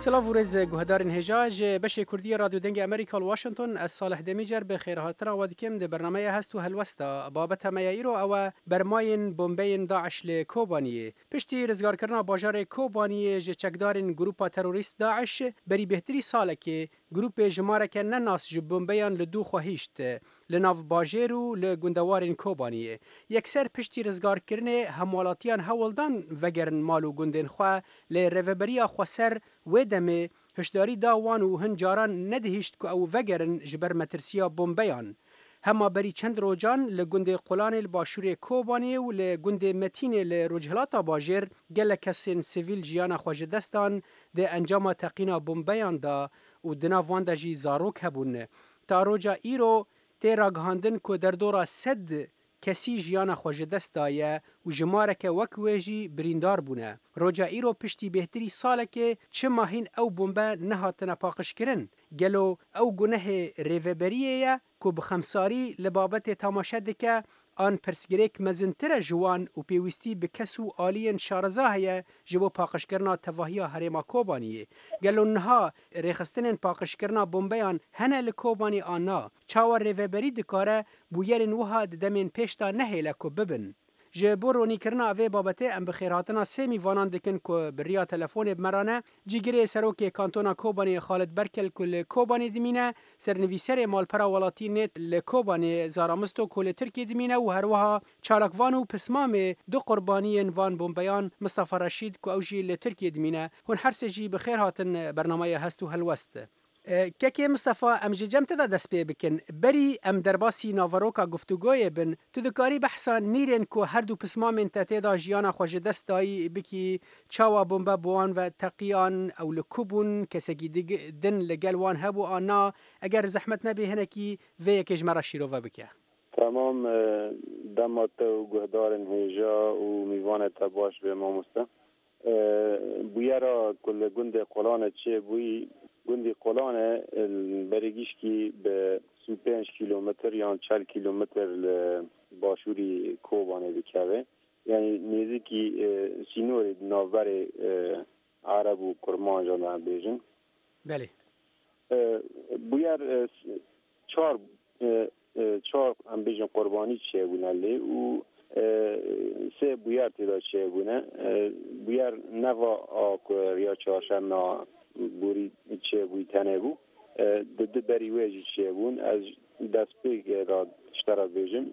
سلاv û rêz guhdarên hêja ji beşê Kurdiyê Radyo Dengê Amerîka li Washington ez Salih Demîcer bi xêrhatina we dikim di bernameya hest û helwesta babeta me ya îro ew e bermayên bombeyên Daeş li Kobaniyê. Piştî rizgarkirina bajarê Kobaniyê ji çekdarên grûpa terorîst Daeş berî bêhtirî salekê grûpê jimareke nenas ji bombeyan li dû xwe hîşt li nav bajêr û li gundewarên Kobaniyê. Yekser piştî rizgarkirinê hemwelatiyan hewl dan vegerin mal û gundên xwe lê rêveberiya xweser wê demê hişdarî da wan û hin caran nedihîşt ku ew vegerin ji ber metirsiya bombeyan. Hema berî çend rojan li gundê Qulanê li başûrê Kobanê û li gundê Metînê li Rojhilata bajêr gelek kesên sivîl jiyana xwe ji dest dan di encama teqîna bombeyan da û di nav wan de jî zarok hebûn. Ta roja îro tê ragihandin ku derdora sed kesî jiyana xwe ji dest daye û jimareke wek wê jî birîndar bûne. Roja îro piştî bêhtirî salekê çima hîn ew bombe nehatine paqijkirin? Gelo ew gunehê rêveberiyê ye ku bi xemsarî li babetê temaşe dike an pirsgirêk mezintir e ji wan û pêwîstî bi kes û aliyên şareza heye ji bo paqijkirina tevahiya herêma Kobaniyê. Gelo niha rêxistinên paqijkirina bombeyan hene li Kobanî an na? Çawa rêveberî dikare bûyerên wiha di demên pêş de nehêle ku bibin? Ji bo ronîkirina vê babetê em bi xêrhatina sê mîvanan dikin ku bi riya telefonê bi me re ne. Cîgirê Serokê Kantona Kobanê Xalid Berkel ku li Kobanê dimîne, sernivîserê malpera welatî nêt li Kobanê Zara Misto ku li Tirkiyê dimîne û herwiha çalakvan û pismamê du qurbaniyên van bombeyan Mistefa Reşîd ku ew jî li Tirkiyê dimîne. Hûn her sê jî bi xêr hatin bernameya Hest û Helwest. Kekê Mistefa em ji cem te de dest pê bikin. Berî em derbasî naveroka guftugoyê bin, tu dikarî behsa nîrên ku her du pismamên te tê de jiyana xwe ji dest dayî bikî, çawa bombe bi wan ve teqiyan, ew li ku bûn, kesekî din li gel wan hebû an na, eger zehmet nebê hinekî vê yekê ji me re şîrove bike. تمام دەما te û guhdarên hêja û mîvanê te baş bê mamoste. Bûyera ku li gundê Qolanê çêbûyî, gundê Qolanê berêgîşkî bi û pênc kîlometr yan çel kîlometr li başûrî Kobanê dikeve. Yani nêzîkî sînorê navberê Ereb û Kurmancan em bêjin. Belê. Bûyer çar çar em bêjin qurbanî çêbûne lê û sê bûyer tê de çêbûne. Bûyer neva a ku riya çarşema borî çêbûyî tenê bû. Di du berî wê jî çêbûn. Ez destpêkê de ji te re bêjim.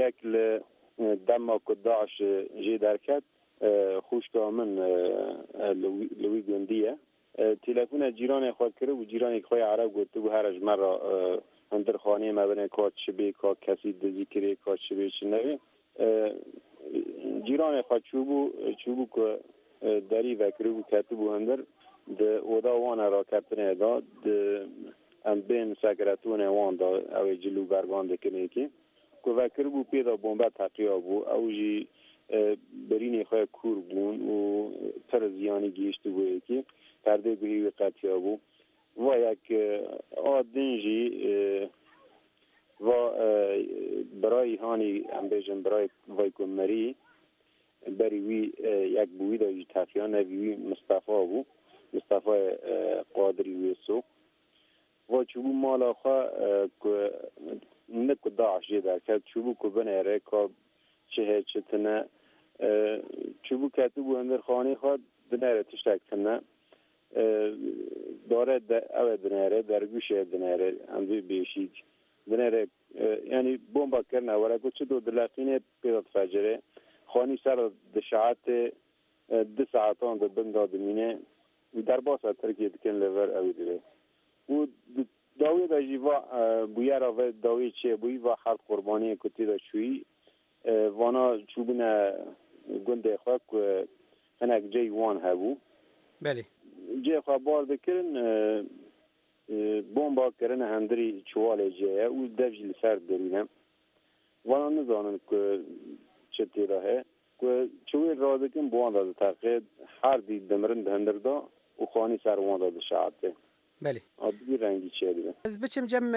Yek li dema ku Daîş jê derket xwişka min li wî gundî ye. Telefona cîranê xwe kiribû, cîranê xwe yê Ereb gotibû here ji me re hundir xaneyê me bine ka çi bê, ka kesî dizî kirê, ka çi bê çi nebê. Cîranê xwe çûbû, çûbû ku derî vekiribû ketibû hundir di oda wan e raketinê da di em bên sekretonê wan da ew ê cil û bergan dikin yekê. Ku vekiribû pê de bombe teqiya bû, ew jî birînê xwe kûr bûn û pir ziyanî gihîştibû yekê. Perdê guhê wî qetiya bû. Va yek a din jî va birayî hanî em bêjin birayê vay ku mirî berî wî yek bû wî de jî teqiya nevî wî Mistefa bû. Mistefayê Qadirî Wêso. Va çûbû mala xwe ku ne ku Daîş jê derket, çûbû ku binêre ka çi heye çi tune. Çûbû ketibû hundir xaneyê xwe dinêre tiştek tune. Dare ew ê dinêre, dergûşê dinêre, em vê bêşîk dinêre, yanî bomba kirine were ku çi do dileqînê pê de difecirê. Xanî ser dişeetê du saetan di bin de dimîne derbasa Tirkiye dikin li vir ew dibe. Û dawiyê de jî va bûyera vê dawiyê çêbûyî va heft qurbaniyên ku tê de çûyî vana çûbûne gundê xwe ku hinek cey wan hebû. Belê. Cê xwe bar dikirin bomba kirine hundirî çiwalê cê ye û dev jî li ser derîne. Vana nizanin ku çi tê de heye. Ku çiwêl radikin bi wan de diteqê, her dî dimirin di hundir de û xanî ser wan de dişeetê. Belê. A bi vî rengî çêdibe. Ez biçim cem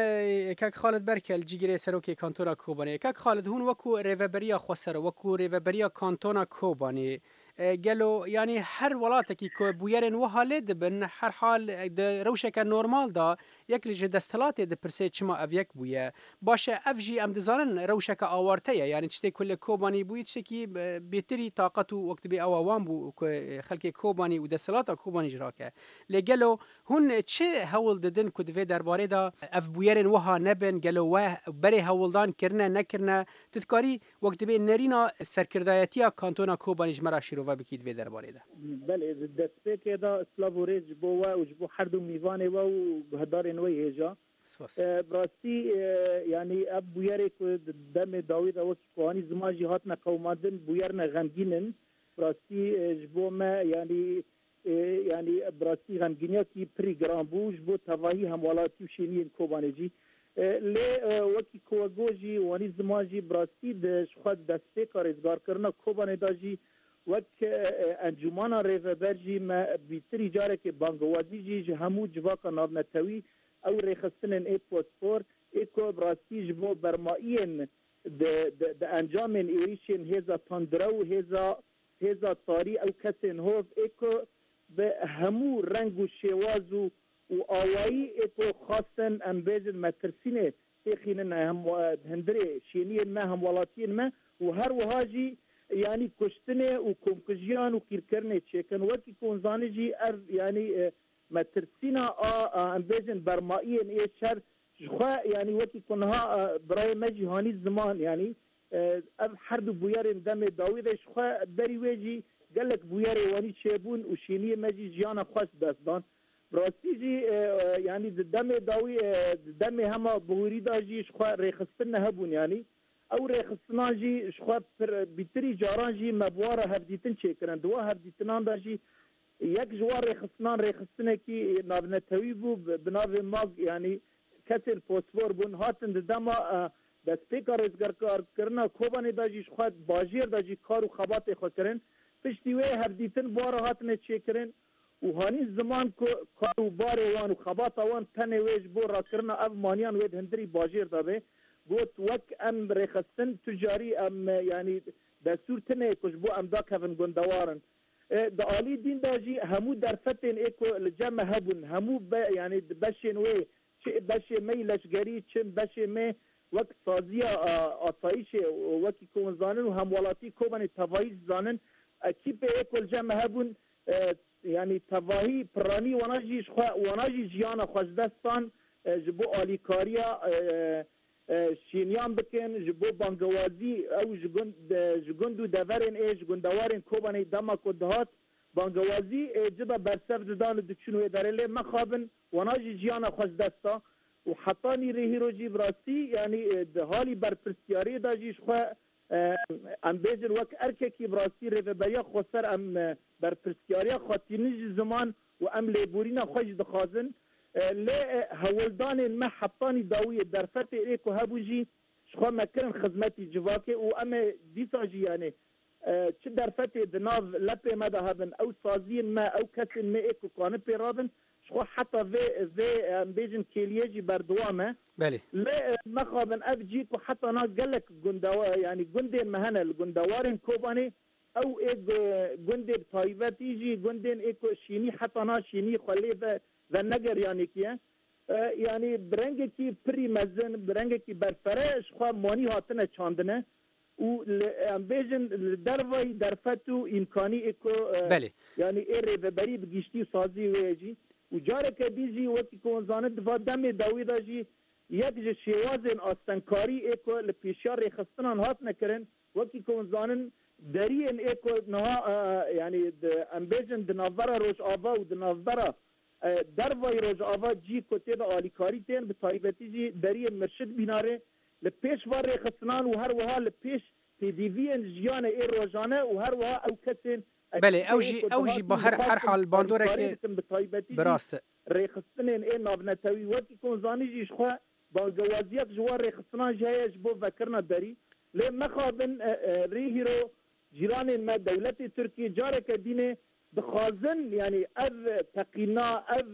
kak Xalid Berkel cîgirê Serokê Kantona Kobanê. Kak Xalid hûn wekû rêveberiya xweser wekû rêveberiya Kantona Kobanê gelo yanî her welatekî ku bûyerên wiha lê dibin herhal di rewşeke normal da yek li ji desthilatê dipirsê çima ev yek bûye. Baş e ev jî em dizanin rewşeke awarte ye yanî tiştê ku li Kobanî bûyî tiştekî bêtirî taqet û wek dibê ewa wan bû ku xelkê Kobanî û desthilata Kobanî jî rake. Lê gelo hûn çi hewl didin ku di vê derbarê de ev bûyerên wiha nebin gelo we berê hewldan kirine nekirine tu dikarî wek dibê nerîna serkirdayetiya Kantona Kobanî ji me re şîrove bikî di vê derbarê de. Belê, di destpêkê de silav û rêz ji bo we û ji bo her du mîvanê we û guhdarên we hêja. Spas. Bi rastî yanî ev bûyerê ku di demê dawî de wekî ku anî ziman jî hatine qewimandin bûyerine xemgîn in. Bi rastî ji bo me yanî yanî bi rastî xemgîniyekî pirî giran bû ji bo tevahî hemwelatî û şêniyên Kobanê jî. Lê wekî ku we got jî wanî ziman jî bi rastî di ji xwe destpêka rêzgarkirina Kobanê de jî wek encûmana rêveber jî me bîtirî carekê bangewazî jî ji hemû civaka navnetewî ew rêxistinên ê pospor ê ku bi rastî ji bo bermayiyên di encamên êrişên hêza tandire û hêza hêza tarî ew kesên hov ê ku bi hemû reng û şêwaz û û awayî ê ku xwastin em bêjin metirsînê têxînin hundirê şêniyên me hemwelatiyên me û her wiha jî yanî kuştinê û komkujiyan û qîrkirinê çêkin wekî ku hûn zanî jî ev yanî metirsîna a em bêjin bermayiyên ê şer ji xwe yanî wekî ku niha birayê me jî hanî ziman yanî ev her du bûyerên demê dawî de ji xwe berî wê jî gelek bûyerê wanî çêbûn û şêniyê me jî jiyana xwe ji dest dan. Bi rastî jî yanî di demê dawî di demê hema bihûrî de jî ji xwe rêxistin nehebûn yanî ew rêxistinan jî ji xwe bîtirî caran jî me bi wan re hevdîtin çêkirin. Di wan hevdîtinan de jî yek ji wan rêxistinan rêxistinekî navnetewî bû bi navê mag yanî kesên pospor bûn hatin di dema دەستپێکا ڕزگارکردنا کۆبانێ دا ژی ji xwe bajêr da jî kar û xebatê xwe kirin piştî wê hevdîtin bû re hatine çêkirin û hanî ziman ku kar û barê wan û xebata wan tenê wê ji bo rakirina ev maniyan wê di hundirî bajêr da be got wek em rêxistin tu carî em yanî destûr tune ku ji bo em dakevin gundewarin di alî dîn da jî hemû derfetên ê ku li cem me hebûn hemû yanî di beşên wê çi beşê me leşgerî çi beşê me wek saziya asayişê wekî ku hûn zanin û hemwelatî Kobanê tevahî zanin ekîpê ê ku li cem me hebûn yanî tevahî piranî wana jî ji xwe wana jî jiyana xwe ji dest dan ji bo alîkariya şêniyan bikin ji bo bangewazî ew ji gund ji gund û deverên ê ji gundewarên Kobanê dema ku dihat bangewazî ê cida bersev didan û diçûn wê derê lê mexabin wana jî jiyana xwe ji dest da û heta nîrê hîro jî bi rastî yanî di halî berpirsyariyê da jî ji xwe em bêjin wek erkekî bi rastî rêveberiya xweser em berpirsyariya xwe tînin ji ziman û em lêborîna xwe jî dixwazin lê hewldanên me hetanî dawiyê derfetê ê ku hebû jî ji xwe me kirin xizmetî civakê û em ê dîsa jî yanê çi derfetê di nav lepê me de hebin ew saziyên me ew kesên me ê ku kanin pê rabin ji xwe heta vê vê em bêjin kêliye jî berdewam e Belê. lê mexabin ev cî ku heta na gelek gundewa yanî gundên me hene li gundewarên Kobanê ew ê gundê bi taybetî jî gundên ê ku şînî heta na şînî xwe lê ve venegeriyanekî ye yanî bi rengekî pirî mezin bi rengekî berfere ji xwe manî hatine çandine û em bêjin li dervayî derfet û îmkanî ê ku Belê. yanî ê rêveberî bi giştî û sazî wê jî û careke dî jî wekî ku hûn zanin di va demê dawî de jî yek ji şêwazên astengkarî ê ku li pêşiya rêxistinan hatine kirin wekî ku hûn zanin deriyên ê ku niha yanî em bêjin di navbera Rojava û di navbera dervayî Rojava cî ku tê de alîkarî tên bi taybetî jî deriyên Mirşid Bînarê li pêş va rêxistinan û her wiha li pêş pêdiviyên jiyanê ê rojane û her wiha ew kesên Belê ew jî ew jî bi her her hal bandoreke bi taybetî bi rast e. rêxistinên ê navnetewî wekî ku hûn zanî jî ji xwe bangewaziyek ji wan rêxistinan jî heye ji bo vekirina derî lê mexabin rê hîro cîranên me dewletê Tirkiye careke dînê dixwazin yanî ev teqîna ev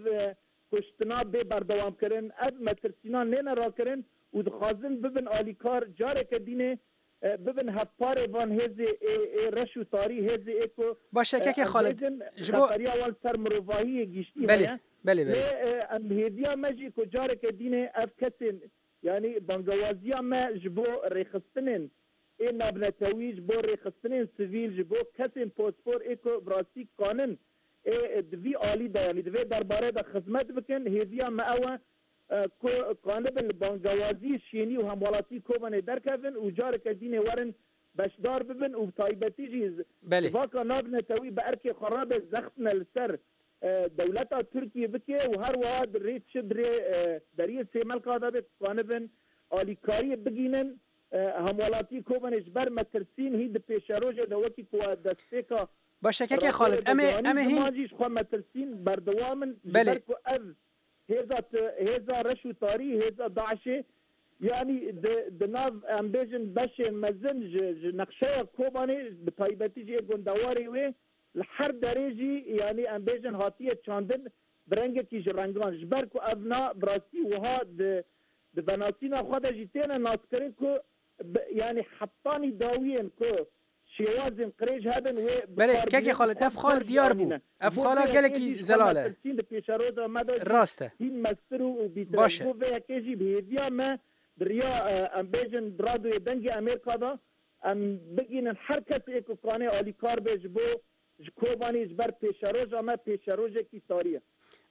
kuştina bê berdewamkirin ev metirsîna nêne rakirin û dixwazin bibin alîkar careke dînê bibin hevparê van hêzê ê ê reş û tarî hêzê ê ku Baş e kekê Xalid ji bo xeteriya wan ser mirovahiyê giştî Belê, heye belê, belê. lê em hêviya me jî ku careke dînê ev kesên yanî bangewaziya me ji bo rêxistinên ê navnetewî ji bo rêxistinên sivîl ji bo kesên pospor ê ku bi rastî kanin ê di vî alî de yanî di vê derbarê de xizmet bikin hêviya me ew e ku kanibin li bangewazî şênî û hemwelatî Kobanê derkevin û careke dînê werin beşdar bibin û bi taybetî jî Belê. civaka navnetewî bi erkê xwe rabe zextine li ser dewleta Tirkiye bike û her wiha di rê çi di rê deriyê Sêmelka de be kanibin alîkariyê bigînin hemwelatî Kobanê ji ber metirsîn hîn di pêşerojê de wekî ku destpêka Baş e kekê Xalid em ê em ê hîn ziman jî ji xwe metirsîn berdewam in ji Belê. ber ku ev hêza hêza reş û tarî hêza Daişê yanî di di nav em bêjin beşên mezin ji ji nexşeya Kobanê bi taybetî jî ê gundewarê wê li her derê jî yanî em bêjin hatiye çandin bi rengekî ji rengan ji ber ku ev na bi rastî wiha di di venasîna xwe de jî têne naskirin ku yanî hetanî dawiyên ku şêwazên qirêj hebin wê Belê kekê Xalid ev xal diyar bû ev xala gelekî zelal e di pêşeroja me de jî Rast e. hîn mestir û bîtir e. Baş e. Ji bo vê yekê jî bi hêviya me di riya em bêjin di radyoyê Dengê Amerîka de em bigînin her kesê ku kanê alîkar be ji bo ji Kobanê ji ber pêşeroja me pêşerojekî tarî ye.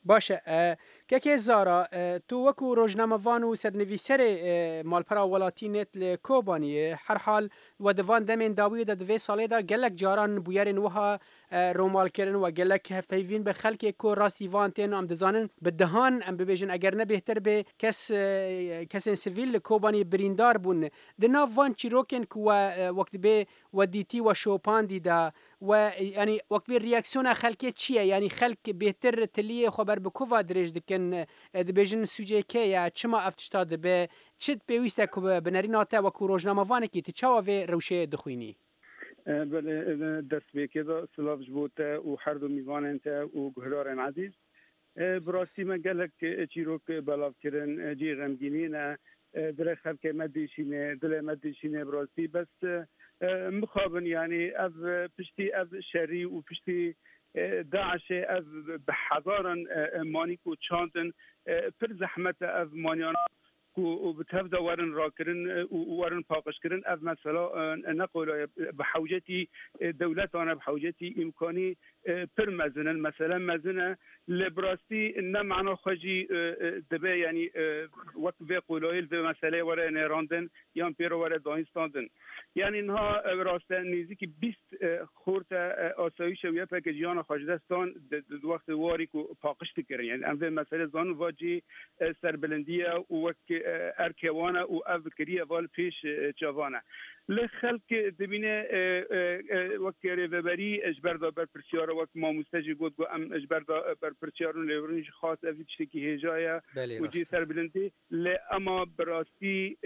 Baş e. Kekê Zara tu wekû rojnamevan û sernivîserê malpera welatî net li Kobaniyê herhal we di van demên dawiyê de di vê salê de gelek caran bûyerên wiha romalkirin we gelek hevpeyvîn bi xelkê ku rastî van tên em dizanin bi dehan em bibêjin eger ne bêhtir bê kes kesên sivîl li Kobaniyê birîndar bûn di nav van çîrokên ku we wek dibê we dîtî we şopandî de we yanî wek bê reaksiyona xelkê çi ye yanî xelk bêhtir tiliyê خwe ber bi ku va dirêj dikin dibêjin sûcê kê ye çima ev tişta dibe çi pêwîst e ku bi nerîna te wekû rojnamevanekî tu çawa vê rewşê dixwînî؟ Belê destpêkê de silav ji bo te û her du mîvanên te û guhdarên ezîz. Bi rastî me gelek çîrok belav kirin cî xemgînî ne dilê xelkê me dişîne dilê me dişîne bi rastî bes mixabin yanî ev piştî ev şerî û piştî Daişê ev bi hezaran manî ku çandin pir zehmet e ev maniyana ku bi tev de werin rakirin û werin paqijkirin ev mesela ne qolaya bi hewcetî dewletane bi hewcetî îmkanî pir mezin in mesela mezin e lê bi rastî ne mana xwe jî dibe yanî wek vê qolayê li vê meseleyê were nêrandin yan pê re were dayîn yanî niha rast e nêzîkî bîst xort asayîşe û yepeke jiyana xwe ji dest dan di wextê warî ku paqij dikirin yani em vê meselê zanin va cî serbilindî ye û wek erkê wan e û ev kiriye va li pêş çavan e li xelk dibîne wek rêveberî ji ber da berpirsyar e wek mamoste jî got ku em ji ber da berpirsyar û lêvirin jî xas ev tiştekî hêja ye û cî serbilindî lê ema bi rastî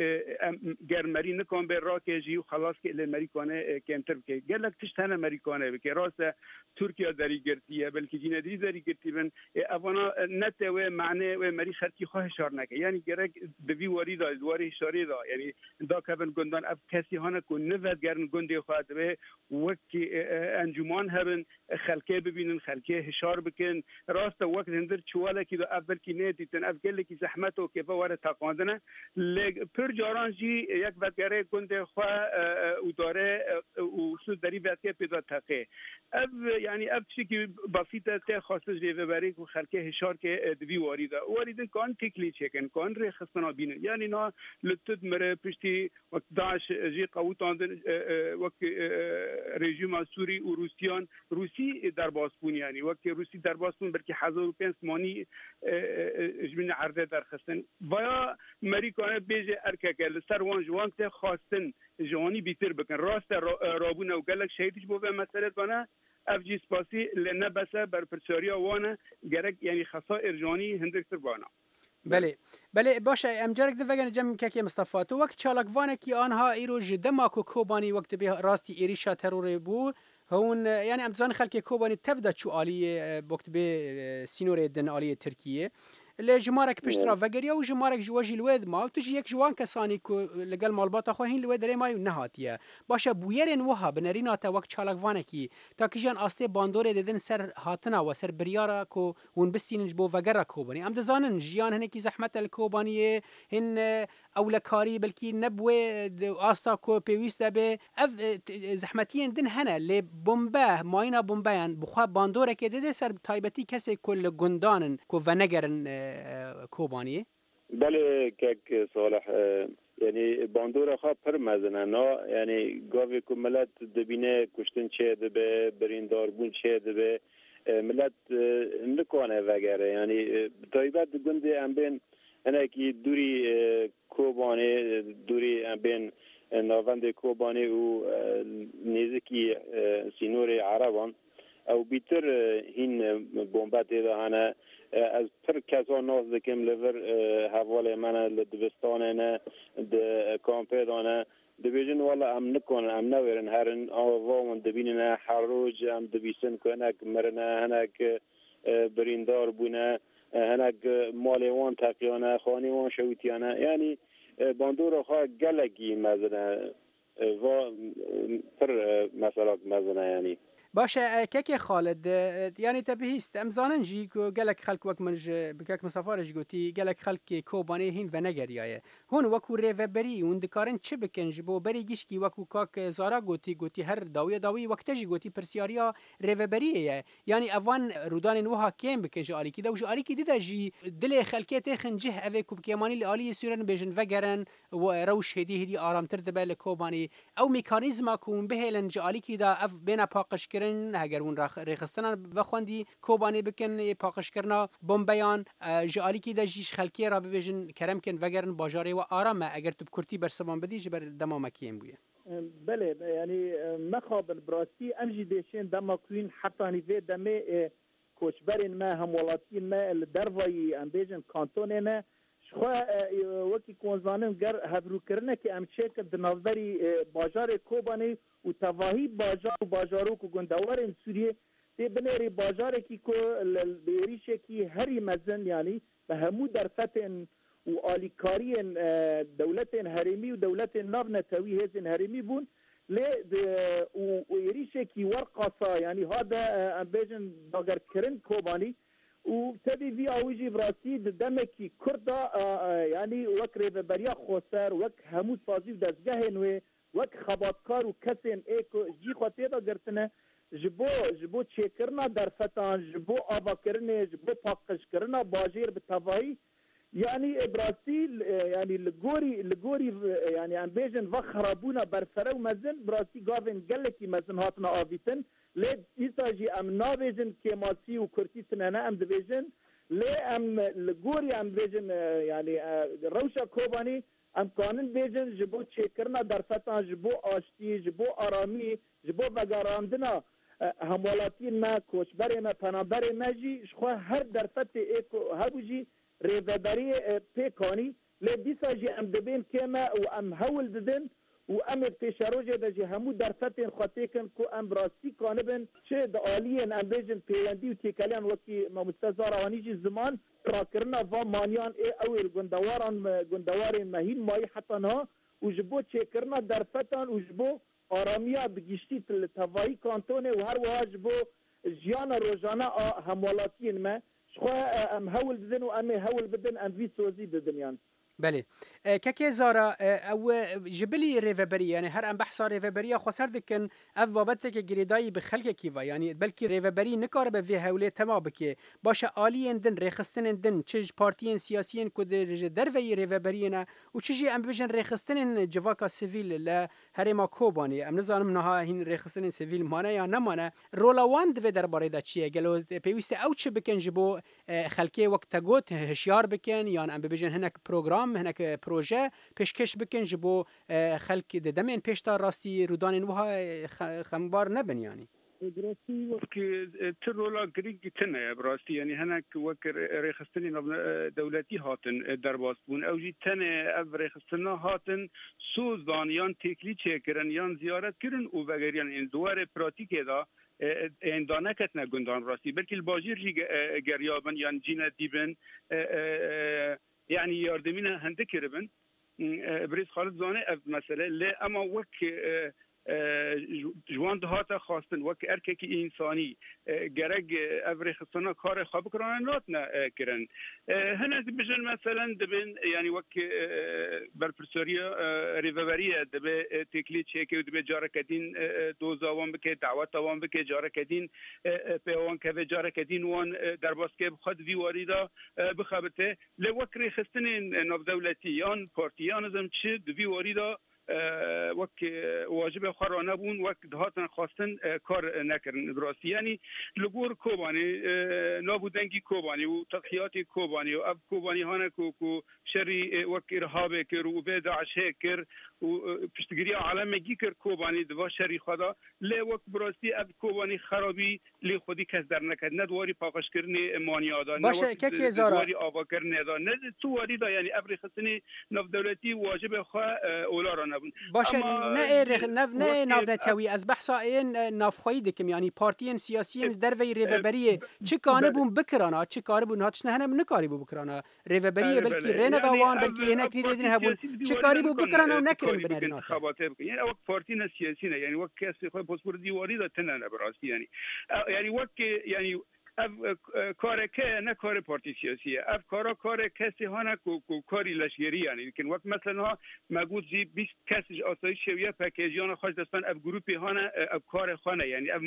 em ger merî nikan bê rakê jî û xelas ke lê merî kane kêmtir bike gelek tişt hene merî kane bike rast e Tirkiye derî girtiye belkî cînedî derî girtî bin evana ne te wê manê wê merî xelkî xwe hişar neke yanî gerek di vî warî de di warê hişarê de yanî dakevin gundan ev kesî hane ku nivedgerin gundê xwe divê wek encûman hebin xelkê bibînin xelkê hişar bikin rast e wek hindir çiwalekî de ev belkî nedîtin ev gelekî zehmet û kêfa were teqandine lê pir caran jî yek vedgerê gundê xwe û darê û su derî vedike pê de teqê ev yanî ev tiştekî basît e tê xwestin ji rêveberê ku xelkê hişar ke di vî warî de warî din kan têklî çêkin kan rêxistina bînin yanî na li tu dimire piştî wek Daeş jî qewitandin wek rejîma Sûrî û Rûsiyan Rûsî derbas bûn yanî wek Rûsî derbas bûn belkî hezar û pênc manî ji min erdê derxistin vaya merîkane bêje erkeke li ser wan ji wan tê xwestin ji wanî bîtir bikin rast e rabûne û gelek şehîd ji bo vê meselê dane ev jî spasî lê ne bes e berpirsyariya wan e gerek yanî xesair ji wanî hindiktir bana. Belê belê baş e em carek din vegerin cem kekê Mistefa tu wek çalakvanekî anha îro ji dema ku Kobanî wek dibê rastî êrîşa terorê bû hûn yani em dizanin xelkê Kobanî tev de çû aliyê wek dibê sînorê din aliyê Tirkiyê lê jimarek pişt re vegeriya û jimarek ji we jî li wê dima û tu jî yek ji wan kesanî ku li gel malbata xwe hîn li wê derê mayî û nehatiye. Baş e bûyerên wiha bi nerîna te wek çalakvanekî ta kijan astê bandorê didin ser hatina we ser biryara ku hûn bistînin ji bo vegera Kobanî. Em dizanin jiyan hinekî zehmet e li Kobaniyê hin ewlekarî belkî ne bi wê asta ku pêwîst e bê ev zehmetiyên din hene lê bombe mayîna bombeyan bi xwe bandorekê dide ser taybetî kesê ku li gundan in ku venegerin Kobaniyê؟ Belê kek Salih yani bandora xwe pir mezin e na yani gavê ku milet dibîne kuştin çê dibe birîndarbûn çê dibe milet nikane vegere yani bi taybet di gundê em bên hinekî dûrî Kobanê dûrî em bên navendê Kobanê û nêzikî sînorê Ereban ew bîtir hîn bombe tê de hene ez pir kesan nas dikim li vir hevalê me ne li dibistanê ne di kampê de ne dibêjin wala em nikanin em newêrin herin ava wan dibînine her roj em dibîsin ku hinek mirine hinek birîndar bûne hinek malê wan teqiyane xanê wan şewitiyane yanî bandora xwe gelekî mezin e va pir meselak mezin e yanî. Baş e kekê Xalid yanî te bihîst em zanin jî ku gelek xelk wek min ji bi kek Mistefa re jî gotî gelek xelkê Kobanê hîn venegeriyaye. Hûn wekû rêveberî hûn dikarin çi bikin ji bo berî gişkî wekû kak Zara gotî gotî her dawiya dawî wek te jî gotî pirsyariya rêveberiyê ye. Yanî evan rûdanên wiha kêm bikin ji alîkî de û ji alîkî di de jî dilê xelkê têxin cih evê ku bi kêmanî li aliyê Sûriyan bêjin vegerin rewş hêdî hêdî aramtir dibe li Kobanê. Ew mekanîzma ku hûn bihêlin ji alîkî de ev bêne paqijkirin heger hûn rêxistinan vexwendî Kobanê bikin paqijkirina bombeyan ji alîkî de jî ji xelkê re bibêjin kerem kin vegerin bajarê we aram e eger tu bi kurtî bersivan bidî ji ber dema me kêm bûye. Belê yanî mexabin bi rastî em jî dêşên dema ku hîn hetanî vê demê کۆچبەرên me hemwelatiyên me li dervayî em bêjin kantonê ne ji xwe wekî konzanin ger hevrûkirinekê em çêkir di navberî bajarê Kobanê û tevahî bajar û bajarok û gundewarên Sûriyê tê binêrî bajarekî ku bi êrîşekî herî mezin yanî bi hemû derfetên û alîkariyên dewletên herêmî û dewletên navnetewî hêzên herêmî bûn lê û êrîşekî werqasa yanî hate em bêjin dagerkirin Kobanî û tevî vî awî jî bi rastî di demekî Kurd da yanî wek rêveberiya xweser wek hemû sazî û dezgehên wê wek xebatkar û kesên ê ku cî xwe tê de girtine ji bo ji bo çêkirina derfetan ji bo avakirinê ji bo paqijkirina bajêr bi tevahî yani bi rastî yani li gorî li gorî yani em bêjin va xerabûna berfere û mezin bi rastî gavên gelekî mezin hatine avîtin lê dîsa jî em nabêjin kêmasî û kurtî tune ne em dibêjin lê em li gorî em bêjin yani rewşa Kobanî em kanin bêjin ji bo çêkirina derfetan ji bo aştî ji bo aramî ji bo vegerandina hemwelatiyên me koçberê me penaberê me jî ji xwe her derfetê ê ku hebû jî rêveberiyê pêkanî lê dîsa jî em dibên kême û em hewl didin û em ê pêşerojê de jî hemû derfetên xwe têkin ku em bi rastî kanibin çi di aliyên em bêjin pêwendî û têkeliyan wekî mamoste Zara anî jî ziman rakirina van maniyan ê ew ê li gundewaran gundewarên me hîn mayî heta niha û ji bo çêkirina derfetan û ji bo aramiya bi giştî li tevahî kantonê û her wiha ji bo jiyana rojane a hemwelatiyên me ji xwe em hewl didin û em ê hewl bidin em vî sozî didin yan. Belê. Kekê Zara ew ji bilî rêveberî yani her em behsa rêveberiya xweser dikin ev babeteke girêdayî bi xelkekî ve yani belkî rêveberî nikaribe vê hewlê tema bike baş e aliyên din rêxistinên din çi ji partiyên siyasiyên ku ji derveyî rêveberiyê ne û çi jî em bibêjin rêxistinên civaka sivîl li herêma Kobanê em nizanim niha hîn rêxistinên sivîl mane ya nemane rola wan di vê derbarê de çi ye gelo pêwîst e ew çi bikin ji bo xelkê wek te got hişyar bikin yan em bibêjin hinek program hinek proje pêşkêş bikin ji bo xelk di demên pêşta rastî rûdanên wiha xembar nebin yanî. Bi rastî wek ti rola girîng tune ye bi rastî yanî hinek wek rêxistinên dewletî hatin derbas bûn ew jî tenê ev rêxistina hatin soz dan yan têklî çêkirin yan ziyaret kirin û vegeriyan ên di warê pratîkê de ên daneketine gundan rastî belkî li bajêr jî geriyabin yan cîne dîbin yani yardımına hende kiribin Birêz Xalid zane ev mesele lê ema wek ji wan dihate xwastin wek erkekî însanî gerek ev rêxistina karê xwe bikirane natine kirin hinek dibêjin meselen dibin yani wek berpirsiyariya rêveberiye dibe têklî çêke û dibe careke din doza wan bike daweta wan bike careke din pê wan keve careke din wan derbas ke bi xwe di vî warî de bixebite lê wek rêxistinên navdewletî yan partî yan ez çi di vî warî de wek wacibê xwe ranebûn wek dihatin xwastin kar nekirin bi rastî yanî li gor Kobanê nav û dengî Kobanê û tedhiyatê Kobanê û ev Kobanî hane ku ku şerî wek îrhabê kir û vê Daişê kir û piştgiriya alemekî kir Kobanê di va şerî xwe da lê wek bi rastî ev Kobanî xerabî lê xwedî kes derneket ne di warî paqijkirinê maniya da ne wek di warî avakirinê da ne tu warî da yanî ev rêxistinê navdewletî wacibê xwe ola ranebûn. Baş e ne ne navnetewî ez behsa ên navxweyî dikim yanî partiyên siyasiyên li derveyî rêveberiyê çi kanibûn bikirana çi karibûn hatişne hene nikarîbû bikirana rêveberiyê belkî rê neda wan belkî hinek nîrê din hebûn çi karîbû bikirana û nekirin binerîn hate. Xebatê bikin yani wek partî ne siyasî ne yani wek kesê xwe paspor dîwarî de tune ne bi rastî yani yani wek yani ev kareke ne karê partî siyasî ye ev kara karê kesê hane ku ku karî leşgerî yani dikin wek mesela me got jî bîst kes ji asayîşê wî P K jiyana xwe ji destan ev grûpê hane ev karê xwe ne yani ev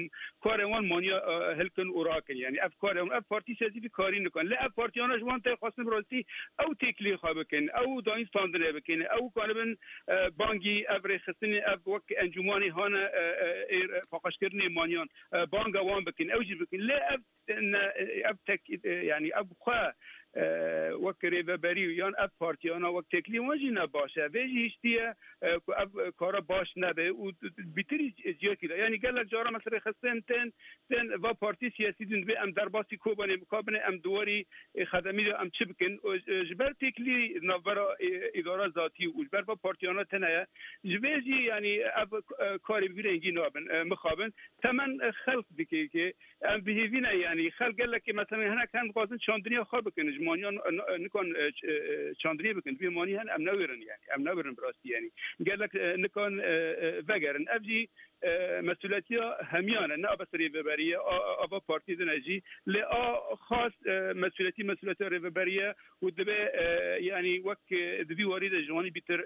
karê wan maniya hilkin û rakin yani ev karê wan ev partî siyasî vî karî nikin lê ev partiyana ji wan tê xwestin bi rastî ew têklî xwe bikin ew dayîn standinê bikin ew karibin bangî ev rêxistinê ev wek encûmanê hane paqijkirinê maniyan banga wan bikin ew jî bikin lê ev ev tek yani ev xwe وەک رێڤەبەری و یان ئەف پارتیانە وەک تێکلی وان ژی نەباشە vê jî hiştiye ku ev kara baş nebe û bîtirî ciyakî de yanî gelek cara mesela rêxistin tên tên va partî siyasî din dibê em derbasî Kobanê bikabine em diwarî xedemî de em çi bikin ji ber têklî navbera îdara zatî û ji ber va partiyana tene ye ji vê jî yanî ev karê bi vî rengî nabin mixabin temen xelk dike ki em bi hêvî ne yanî xelk gelekî mesela hinek hem dixwazin çandiniya xwe bikin ji maniyan nikan çandiniyê bikin dibê manî hen em newirin yani em newirin bi rastî yanî gelek nikan vegerin ev jî mesuletiya hemiyan e ne bes rêveberiye ava partî din e jî lê a xas mesuletî mesuletiya rêveberiye û dibe yanî wek di vî warî de ji wanî bîtir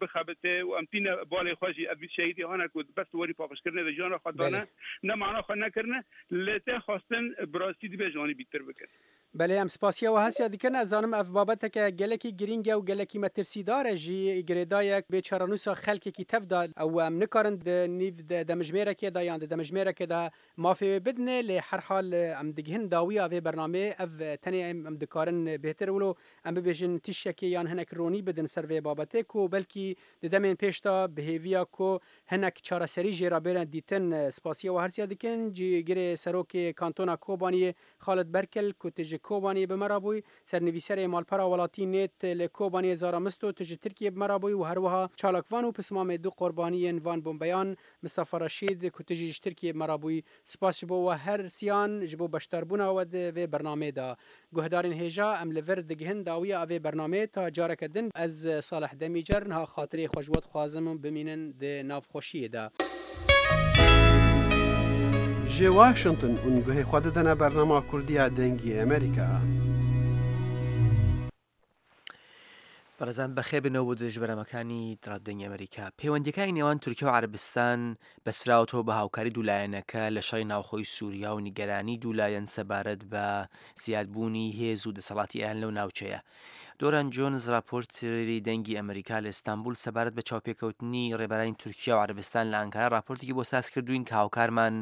bixebite û em tîne balê xwe jî ev şehîdî hane ku bes warî paqijkirinê de jiyana xwe dane ne mana xwe nekirine lê tê xwestin bi rastî dibe ji wanî bîtir bikin. Belê em spasiya we hesiya dikin ez zanim ev babeteke gelekî girîng e û gelekî metirsîdar e jî girêdayek bê çarenûsa xelkekî tev da ew em nikarin di nîv demjimêrekê de yan di demjimêrekê de mafê wê bidinê lê herhal em digihin dawiya vê bernameyê ev tenê em em dikarin bêhtir wilo em bibêjin tiştekê yan hinek ronî bidin ser vê babetê ku belkî di demên pêş de bi hêviya ku hinek çareserî jê re bêre dîtin spasiya we hersiya dikin cîgirê serokê kantona Kobaniyê Xalid Berkel ku tu ji Kobaniyê bi me re bûyî sernivîserê malpera welatî nêt li Kobaniyê Zara Misto tu ji Tirkiyê bi me re bûyî û herwiha çalakvan û pismamê du qurbaniyên van bombeyan Mistefa Reşîd ku tu jî ji Tirkiyê bi me re bûyî spas ji bo we her siyan ji bo beşdarbûna we di vê bernameyê de guhdarên hêja em li vir digihin dawiya vê bernameyê ta careke din ez Salih Demîcer niha xatirê xwe ji we dixwazim û bimînin di navxweşiyê de. Ji Washington û guhê xwe didine bernama Kurdiya Dengê Amerîka. بەڕێزان بەخێر بنەوە بۆ درێژ بەرنامەکانی دەنگی ئەمریکا. پەیوەندیەکانی نێوان تورکیا و عەرەبستان بەسراوەتەوە بە هاوکاری دوولایەنەکە لە شەڕی ناوخۆی سووریا و نیگەرانی دوولایەن سەبارەت بە زیادبوونی هێز و دەسەڵاتی ئێران لەو ناوچەیە. دۆران جۆنز راپۆرتری دەنگی ئەمریکا لە ئیستانبول سەبارەت بە چاوپێکەوتنی ڕێبەرانی تورکیا و عەرەبستان لە ئەنکارا راپۆرتێکی بۆ ساز کردوین کە هاوکارمان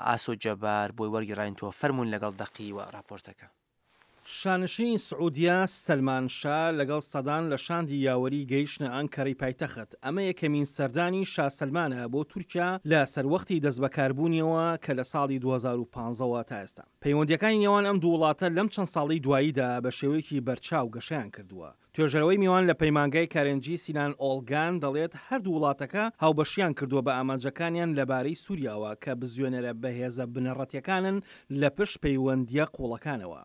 ئاسۆ جەبار بۆی وەرگێڕاینەوە. فەرمونون لەگەڵ دەقی و راپۆرتەکە. شانشینی سعودیا سەلمان شا لەگەڵ سەدان لە شاندی یاوەری گەیشتە ئەنکەرەی پایتەخت. ئەمە یەکەمین سەردانی شا سەلمانە بۆ تورکیا لە سەروەختی دەستبەکاربوونیەوە کە لە ساڵی دوو هەزار و پانزەوە تا ئێستا. پەیوەندیەکانی نێوان ئەم دوو وڵاتە لەم چەند ساڵی دواییدا بە شێوەیەکی بەرچاو گەشەیان کردووە. توێژەرەوەی میوان لە پەیمانگای کارنجی سینان ئۆڵگان دەڵێت هەردوو وڵاتەکە هاوبەشیان کردووە بە ئامانجەکانیان لەبارەی سووریاوە کە بزوێنەرە بەهێزە بنەڕەتیەکانن لە پشت پەیوەندیە قوڵەکانەوە.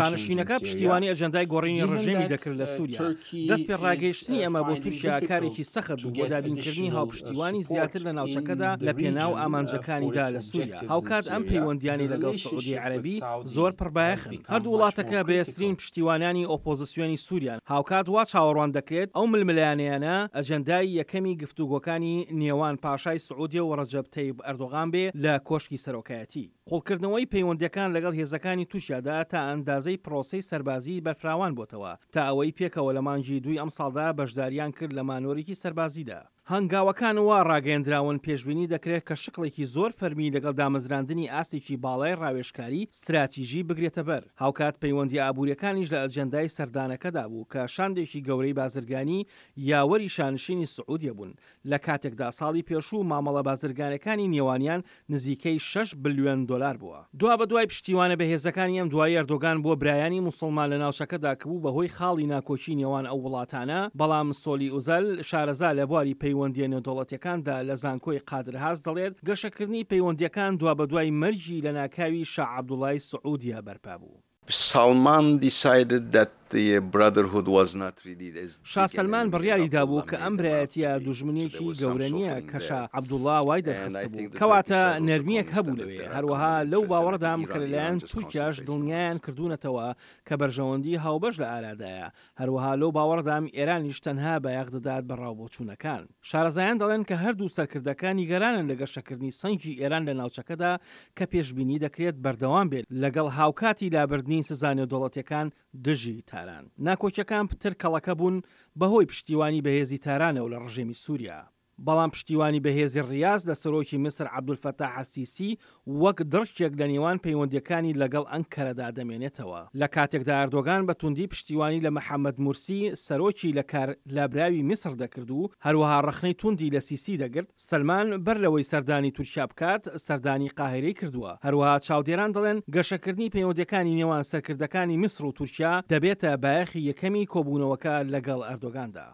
شانشینەکە پشتیوانی ئەجەندای گۆڕینی ڕژێمی دەکرد لە سووریا. دەست پێ ڕاگەیشتنی ئەمە بۆ تورکیا کارێکی سەخت بوو بۆ دابینکردنی هاوپشتیوانی زیاتر لە ناوچەکەدا لە پێناو ئامانجەکانیدا لە سووریا. هاوکات ئەم پەیوەندیانی لەگەڵ سعودی عەرەبی زۆر پڕبایەخن. هەردوو وڵاتەکە بەهێزترین پشتیوانانی ئۆپۆزیسیۆنی سووریان. هاوکات وا چاوەڕوان دەکرێت ئەو ململانێیانە ئەجەندای یەکەمی گفتوگۆکانی نێوان پاشای سعودیە و ڕەجەب تەیب ئەردۆغان بێ لە کۆشکی سەرۆکایەتی. قوڵکردنەوەی پەیوەندیەکان لەگەڵ هێزەکانی تورکیادا تا ئەندازەی پرۆسەی سەربازی بەرفراوان بۆتەوە تا ئەوەی پێکەوە لە مانگی دووی ئەمساڵدا بەشداریان کرد لە مانۆرێکی سەربازیدا. هەنگاوەکان وا ڕاگەیەندراون پێشبینی دەکرێت کە شکڵێکی زۆر فەرمی لەگەڵ دامەزراندنی ئاستێکی باڵای ڕاوێژکاری ستراتیژی بگرێتە بەر. هاوکات پەیوەندی ئابووریەکانیش لە ئەجەندای سەردانەکەدا بوو کە شاندێکی گەورەی بازرگانی یاوەری شانشینی سعودیە بوون لە کاتێکدا ساڵی پێشوو مامەڵە بازرگانەکانی نێوانیان نزیکەی شەش بلیۆن دلار بووە. دوا بە دوای پشتیوانە بەهێزەکانی ئەم دوای ئەردۆگان بۆ برایانی موسڵمان لە ناوچەکەدا کە بوو بەهۆی خاڵی ناکۆکی نێوان ئەو وڵاتانە، بەڵام سۆلی ئوزەل شارەزا لە بواری پەیوەندیە نێودەوڵەتیەکاندا لە زانکۆی قادرهاز دەڵێت گەشەکردنی پەیوەندیەکان دوا بە دوای مەرگی لە ناکاوی شا عەبدوڵای سعودیە بەرپا بوو. Salman decided that the brotherhood was not really as شا سەلمان بڕیاری دابوو کە ئەم برایەتیە دوژمنێکی گەورە نییە کە شا عەبدوڵڵا وای دەرخست بوو، کەواتە نەرمییەک هەبوو لەوێ. هەروەها لەو باوەڕدام کە لەلایەن تورکیاش دڵنیایان کردوونەتەوە کە بەرژەوەندی هاوبەش لە ئارادایە. هەروەها لەو باوەڕدام ئێرانیش تەنها بایەخ دەدات بە ڕاوبۆچوونەکان. شارەزایان دەڵێن کە هەردوو سەرکردەکە نیگەرانن لە گەشەکردنی سەنگی ئێران لە ناوچەکەدا کە پێشبینی دەکرێت بەردەوام بێت لەگەڵ هاوکاتی لابردنی سزا نێودەوڵەتیەکان دژی تاران. ناکۆکیەکان پتر کەڵەکە بوون بەهۆی پشتیوانی بەهێزی تارانەوە لە ڕژێمی سووریا. بەڵام پشتیوانی بەهێزی ڕیاز لە سەرۆکی میسر عەبدولفەتاح ئەلسیسی وەک دڕکێک لە نێوان پەیوەندییەکانی لەگەڵ ئەنکەرەدا دەمێنێتەوە. لە کاتێکدا ئەردۆگان بە توندی پشتیوانی لە محەمەد مورسی سەرۆکی لە کار لابراوی میسر دەکرد و هەروەها ڕەخنەی توندی لە سیسی دەگرت، سەلمان بەر لەوەی سەردانی تورکیا بکات سەردانی قاهیرەی کردووە. هەروەها چاودێران دەڵێن گەشەکردنی پەیوەندییەکانی نێوان سەرکردەکانی میسر و تورکیا دەبێتە بایەخی یەکەمی کۆبوونەوەکە لەگەڵ ئەردۆگاندا.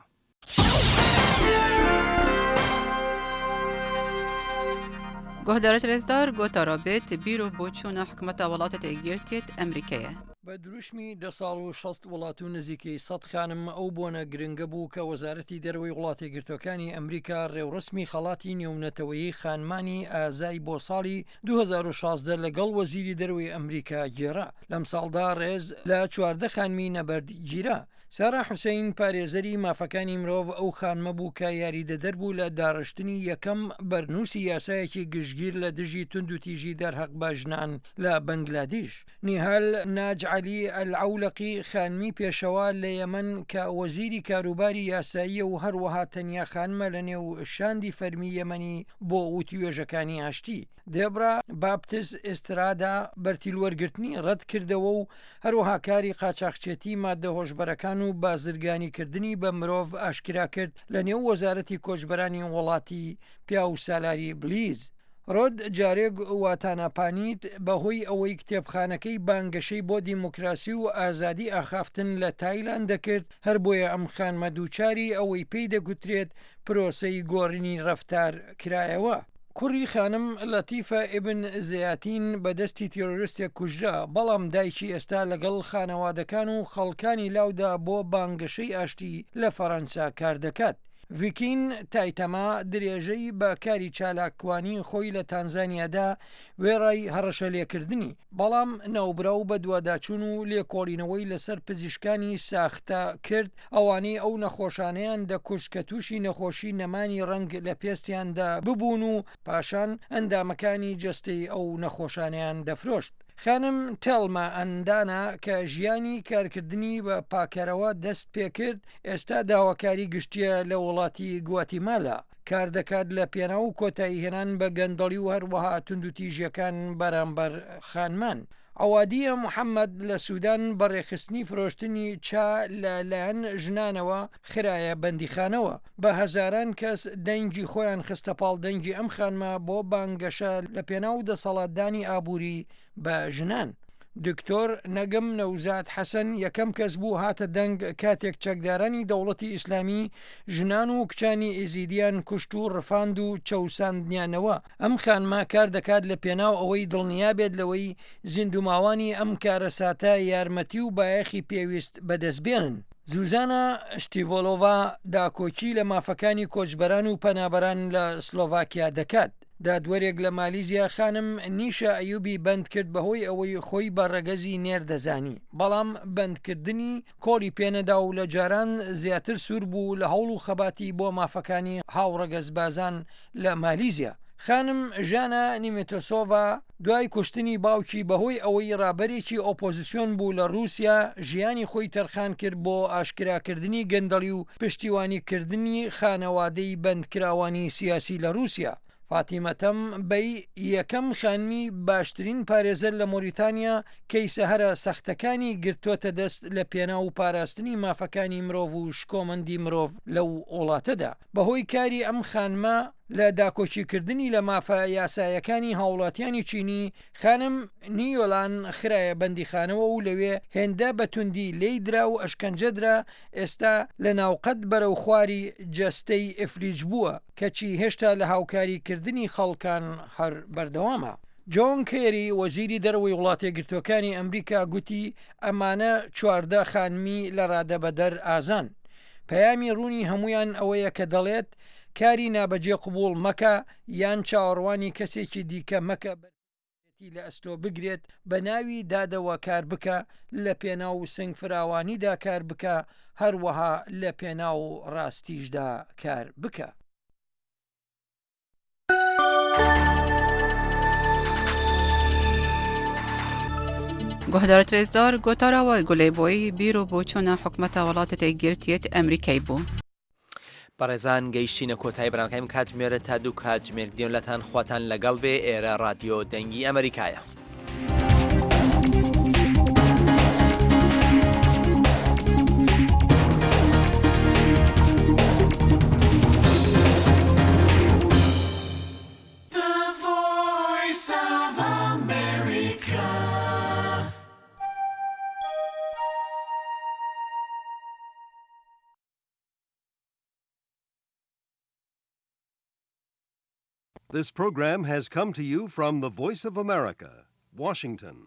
Guhdarê rêzdar gotara bêt bîr û boçûna hikûmeta Welatê Yekgirtiyê Amerîkayê. بە دروشمی دە ساڵ و شەست وڵات و نزیکەی سەد خانم ئەو بۆنە گرنگە بوو کە وەزارەتی دەرەوەی وڵاتە یەکگرتووەکانی ئەمریکا ڕێوڕەسمی خەڵاتی نێونەتەوەیی خانمانی ئازای بۆ ساڵی دوو هەزار و شازدە لەگەڵ وەزیری دەرەوەی ئەمریکا گێڕا. لەمساڵدا ڕێز لە چواردە خانمی نەبەرد گیرا. سارا حوسەین پارێزەری مافەکانی مرۆڤ ئەو خانمە بوو کە یاریدەدەر بوو لە داڕشتنی یەکەم بەرنووسی یاسایەکی گشتگیر لە دژی توندوتیژی دەرهەق بە ژنان لە بەنگلادیش. نیهال ناج عەلی ئەلعەولەقی خانمی پێشەوا لە یەمەن کە وەزیری کاروباری یاساییە و هەروەها تەنیا خانمە لە نێو شاندی فەرمی یەمەنی بۆ وتوێژەکانی ئاشتی. دێبرا باپتس ئێسترادا بەرتیلوەرگرتنی ڕەت کردەوە و هەروەها کاری قاچاخچێتی مادە هۆشبەرەکان و بازرگانیکردنی بە مرۆڤ ئاشکرا کرد لە نێو وەزارەتی کۆچبەرانی وڵاتی پیاو سالاری بلیز. ڕۆد جارێک واتاناپانیت بەهۆی ئەوەی کتێبخانەکەی بانگەشەی بۆ دیموکراسی و ئازادی ئاخافتن لە تایلاند دەکرد، هەر بۆیە ئەم خانمە دووچاری ئەوەی پێی دەگوترێت پرۆسەی گۆڕینی ڕەفتار کرایەوە. کوڕی خانم لەتیفە ئیبن زەیاتین بە دەستی تیرۆرستێک کوژرا، بەڵام دایکی ئێستا لەگەڵ خانەوادەکان و خەڵکانی لاودا بۆ بانگەشەی ئاشتی لە فەرەنسا کاردەکات. ڤیکین تایتەما درێژەی بە کاری چالاکوانی خۆی لە تانزانیادا وێڕای هەڕەشەلێکردنی، بەڵام ناوبراو بەدواداچوون و لێکۆڵینەوەی لەسەر پزیشکانی ساختە کرد، ئەوانەی ئەو نەخۆشانەیان دەکوشت کە تووشی نەخۆشی نەمانی ڕەنگ لە پێستیاندا ببوون و پاشان ئەندامەکانی جەستەی ئەو نەخۆشانەیان دەفرۆشت. خانم تێلما ئەندانا کە ژیانی کارکردنی بە پاکەرەوە دەست پێکرد، ئێستا داواکاری گشتییە لە وڵاتی گواتیمالا، کار دەکات لە پێناو کۆتاییهێنان بە گەندەڵی و هەروەها توندوتیژییەکان بەرامبەر خانمان. عەوادیە محەمەد لە سودان بە ڕێکخستنی فرۆشتنی چا لە لایەن ژنانەوە خرایە بەندیخانەوە. بە هەزاران کەس دەنگی خۆیان خستە پاڵ دەنگی ئەم خانمە بۆ بانگەشە لە پێناو دەسەڵاتدانی ئابووری بە ژنان. دکتۆر نەگم نەوزاد حەسەن یەکەم کەس بوو هاتە دەنگ کاتێک چەکدارانی دەوڵەتی ئیسلامی ژنان و کچانی ئێزیدیان کوشت و ڕفاند و چەوساندنیانەوە. ئەم خانمە کار دەکات لە پێناو ئەوەی دڵنیا بێت لەوەی زیندووماوانی ئەم کارەساتە یارمەتی و بایەخی پێویست بەدەست بێنن. زوزانا شتیڤۆلۆڤا داکۆکی لە مافەکانی کۆچبەران و پەنابەران لە سلۆڤاکیا دەکات. دادوەرێک لە مالیزیا خانم نیشا ئەیوبی بەندکرد بەهۆی ئەوەی خۆی بە ڕەگەزی نێر دەزانی، بەڵام بەندکردنی کۆڵی پێنەدا و لە جاران زیاتر سوور بوو لە هەوڵ و خەباتی بۆ مافەکانی هاوڕەگەزبازان لە مالیزیا. خانم ژانا نیمتۆسۆڤا دوای کوشتنی باوکی بەهۆی ئەوەی ڕابەرێکی ئۆپۆزسیۆن بوو لە ڕووسیا، ژیانی خۆی تەرخان کرد بۆ ئاشکراکردنی گەندەڵی و پشتیوانیکردنی خانەوادەی بەندکراوانی سیاسی لە ڕووسیا. فاتیمە تەم بەی یەکەم خانمی باشترین پارێزەر لە مۆریتانیا کەیسە هەرە سەختەکانی گرتۆتە دەست لە پێناو پاراستنی مافەکانی مرۆڤ و شکۆمەندی مرۆڤ لەو وڵاتەدا. بەهۆی کاری ئەم خانمە لە داکۆکیکردنی لە مافە یاسایەکانی هاوڵاتیانی چینی، خانم نیۆلان خرایە بەندیخانەوە و لەوێ هێندە بە توندی لێی درا و ئەشکەنجە درا ئێستا لە ناوقەد بەرەو خواری جەستەی ئیفلیج بووە، کەچی هێشتا لە هاوکاری کردنی خەڵکان هەر بەردەوامە. جۆن کێری وەزیری دەرەوەی وڵاتەیەکگرتووەکانی ئەمریکا گوتی ئەمانە چواردە خانمی لە رادەبەدەر ئازان. پەیامی روونی هەموویان ئەوەیە کە دەڵێت کاری نابەجێ قبوڵ مەکە یان چاوەڕوانی کەسێکی دیکە مەکە بەرپرسیارێتی لە ئەستۆ بگرێت، بە ناوی دادەوە کار بکە، لە پێناو سنگفراوانیدا کار بکە، هەروەها لە پێناو ڕاستیشدا کار بکە. Guhdarê rêzdar gotara we gulê boyî bîr û boçûna hikûmeta Welatê Yekgirtiyê Amerîkayê bû. بەڕێزان گەیشتینە کۆتایی بەرنامەکانی کاتژمێرە تا دوو کاتژمێر دێن لەتان خواتان لەگەڵ بێ ئێرە ڕادیۆ دەنگی ئەمریکایە. The voice of America. This program has come to you from the Voice of America, Washington.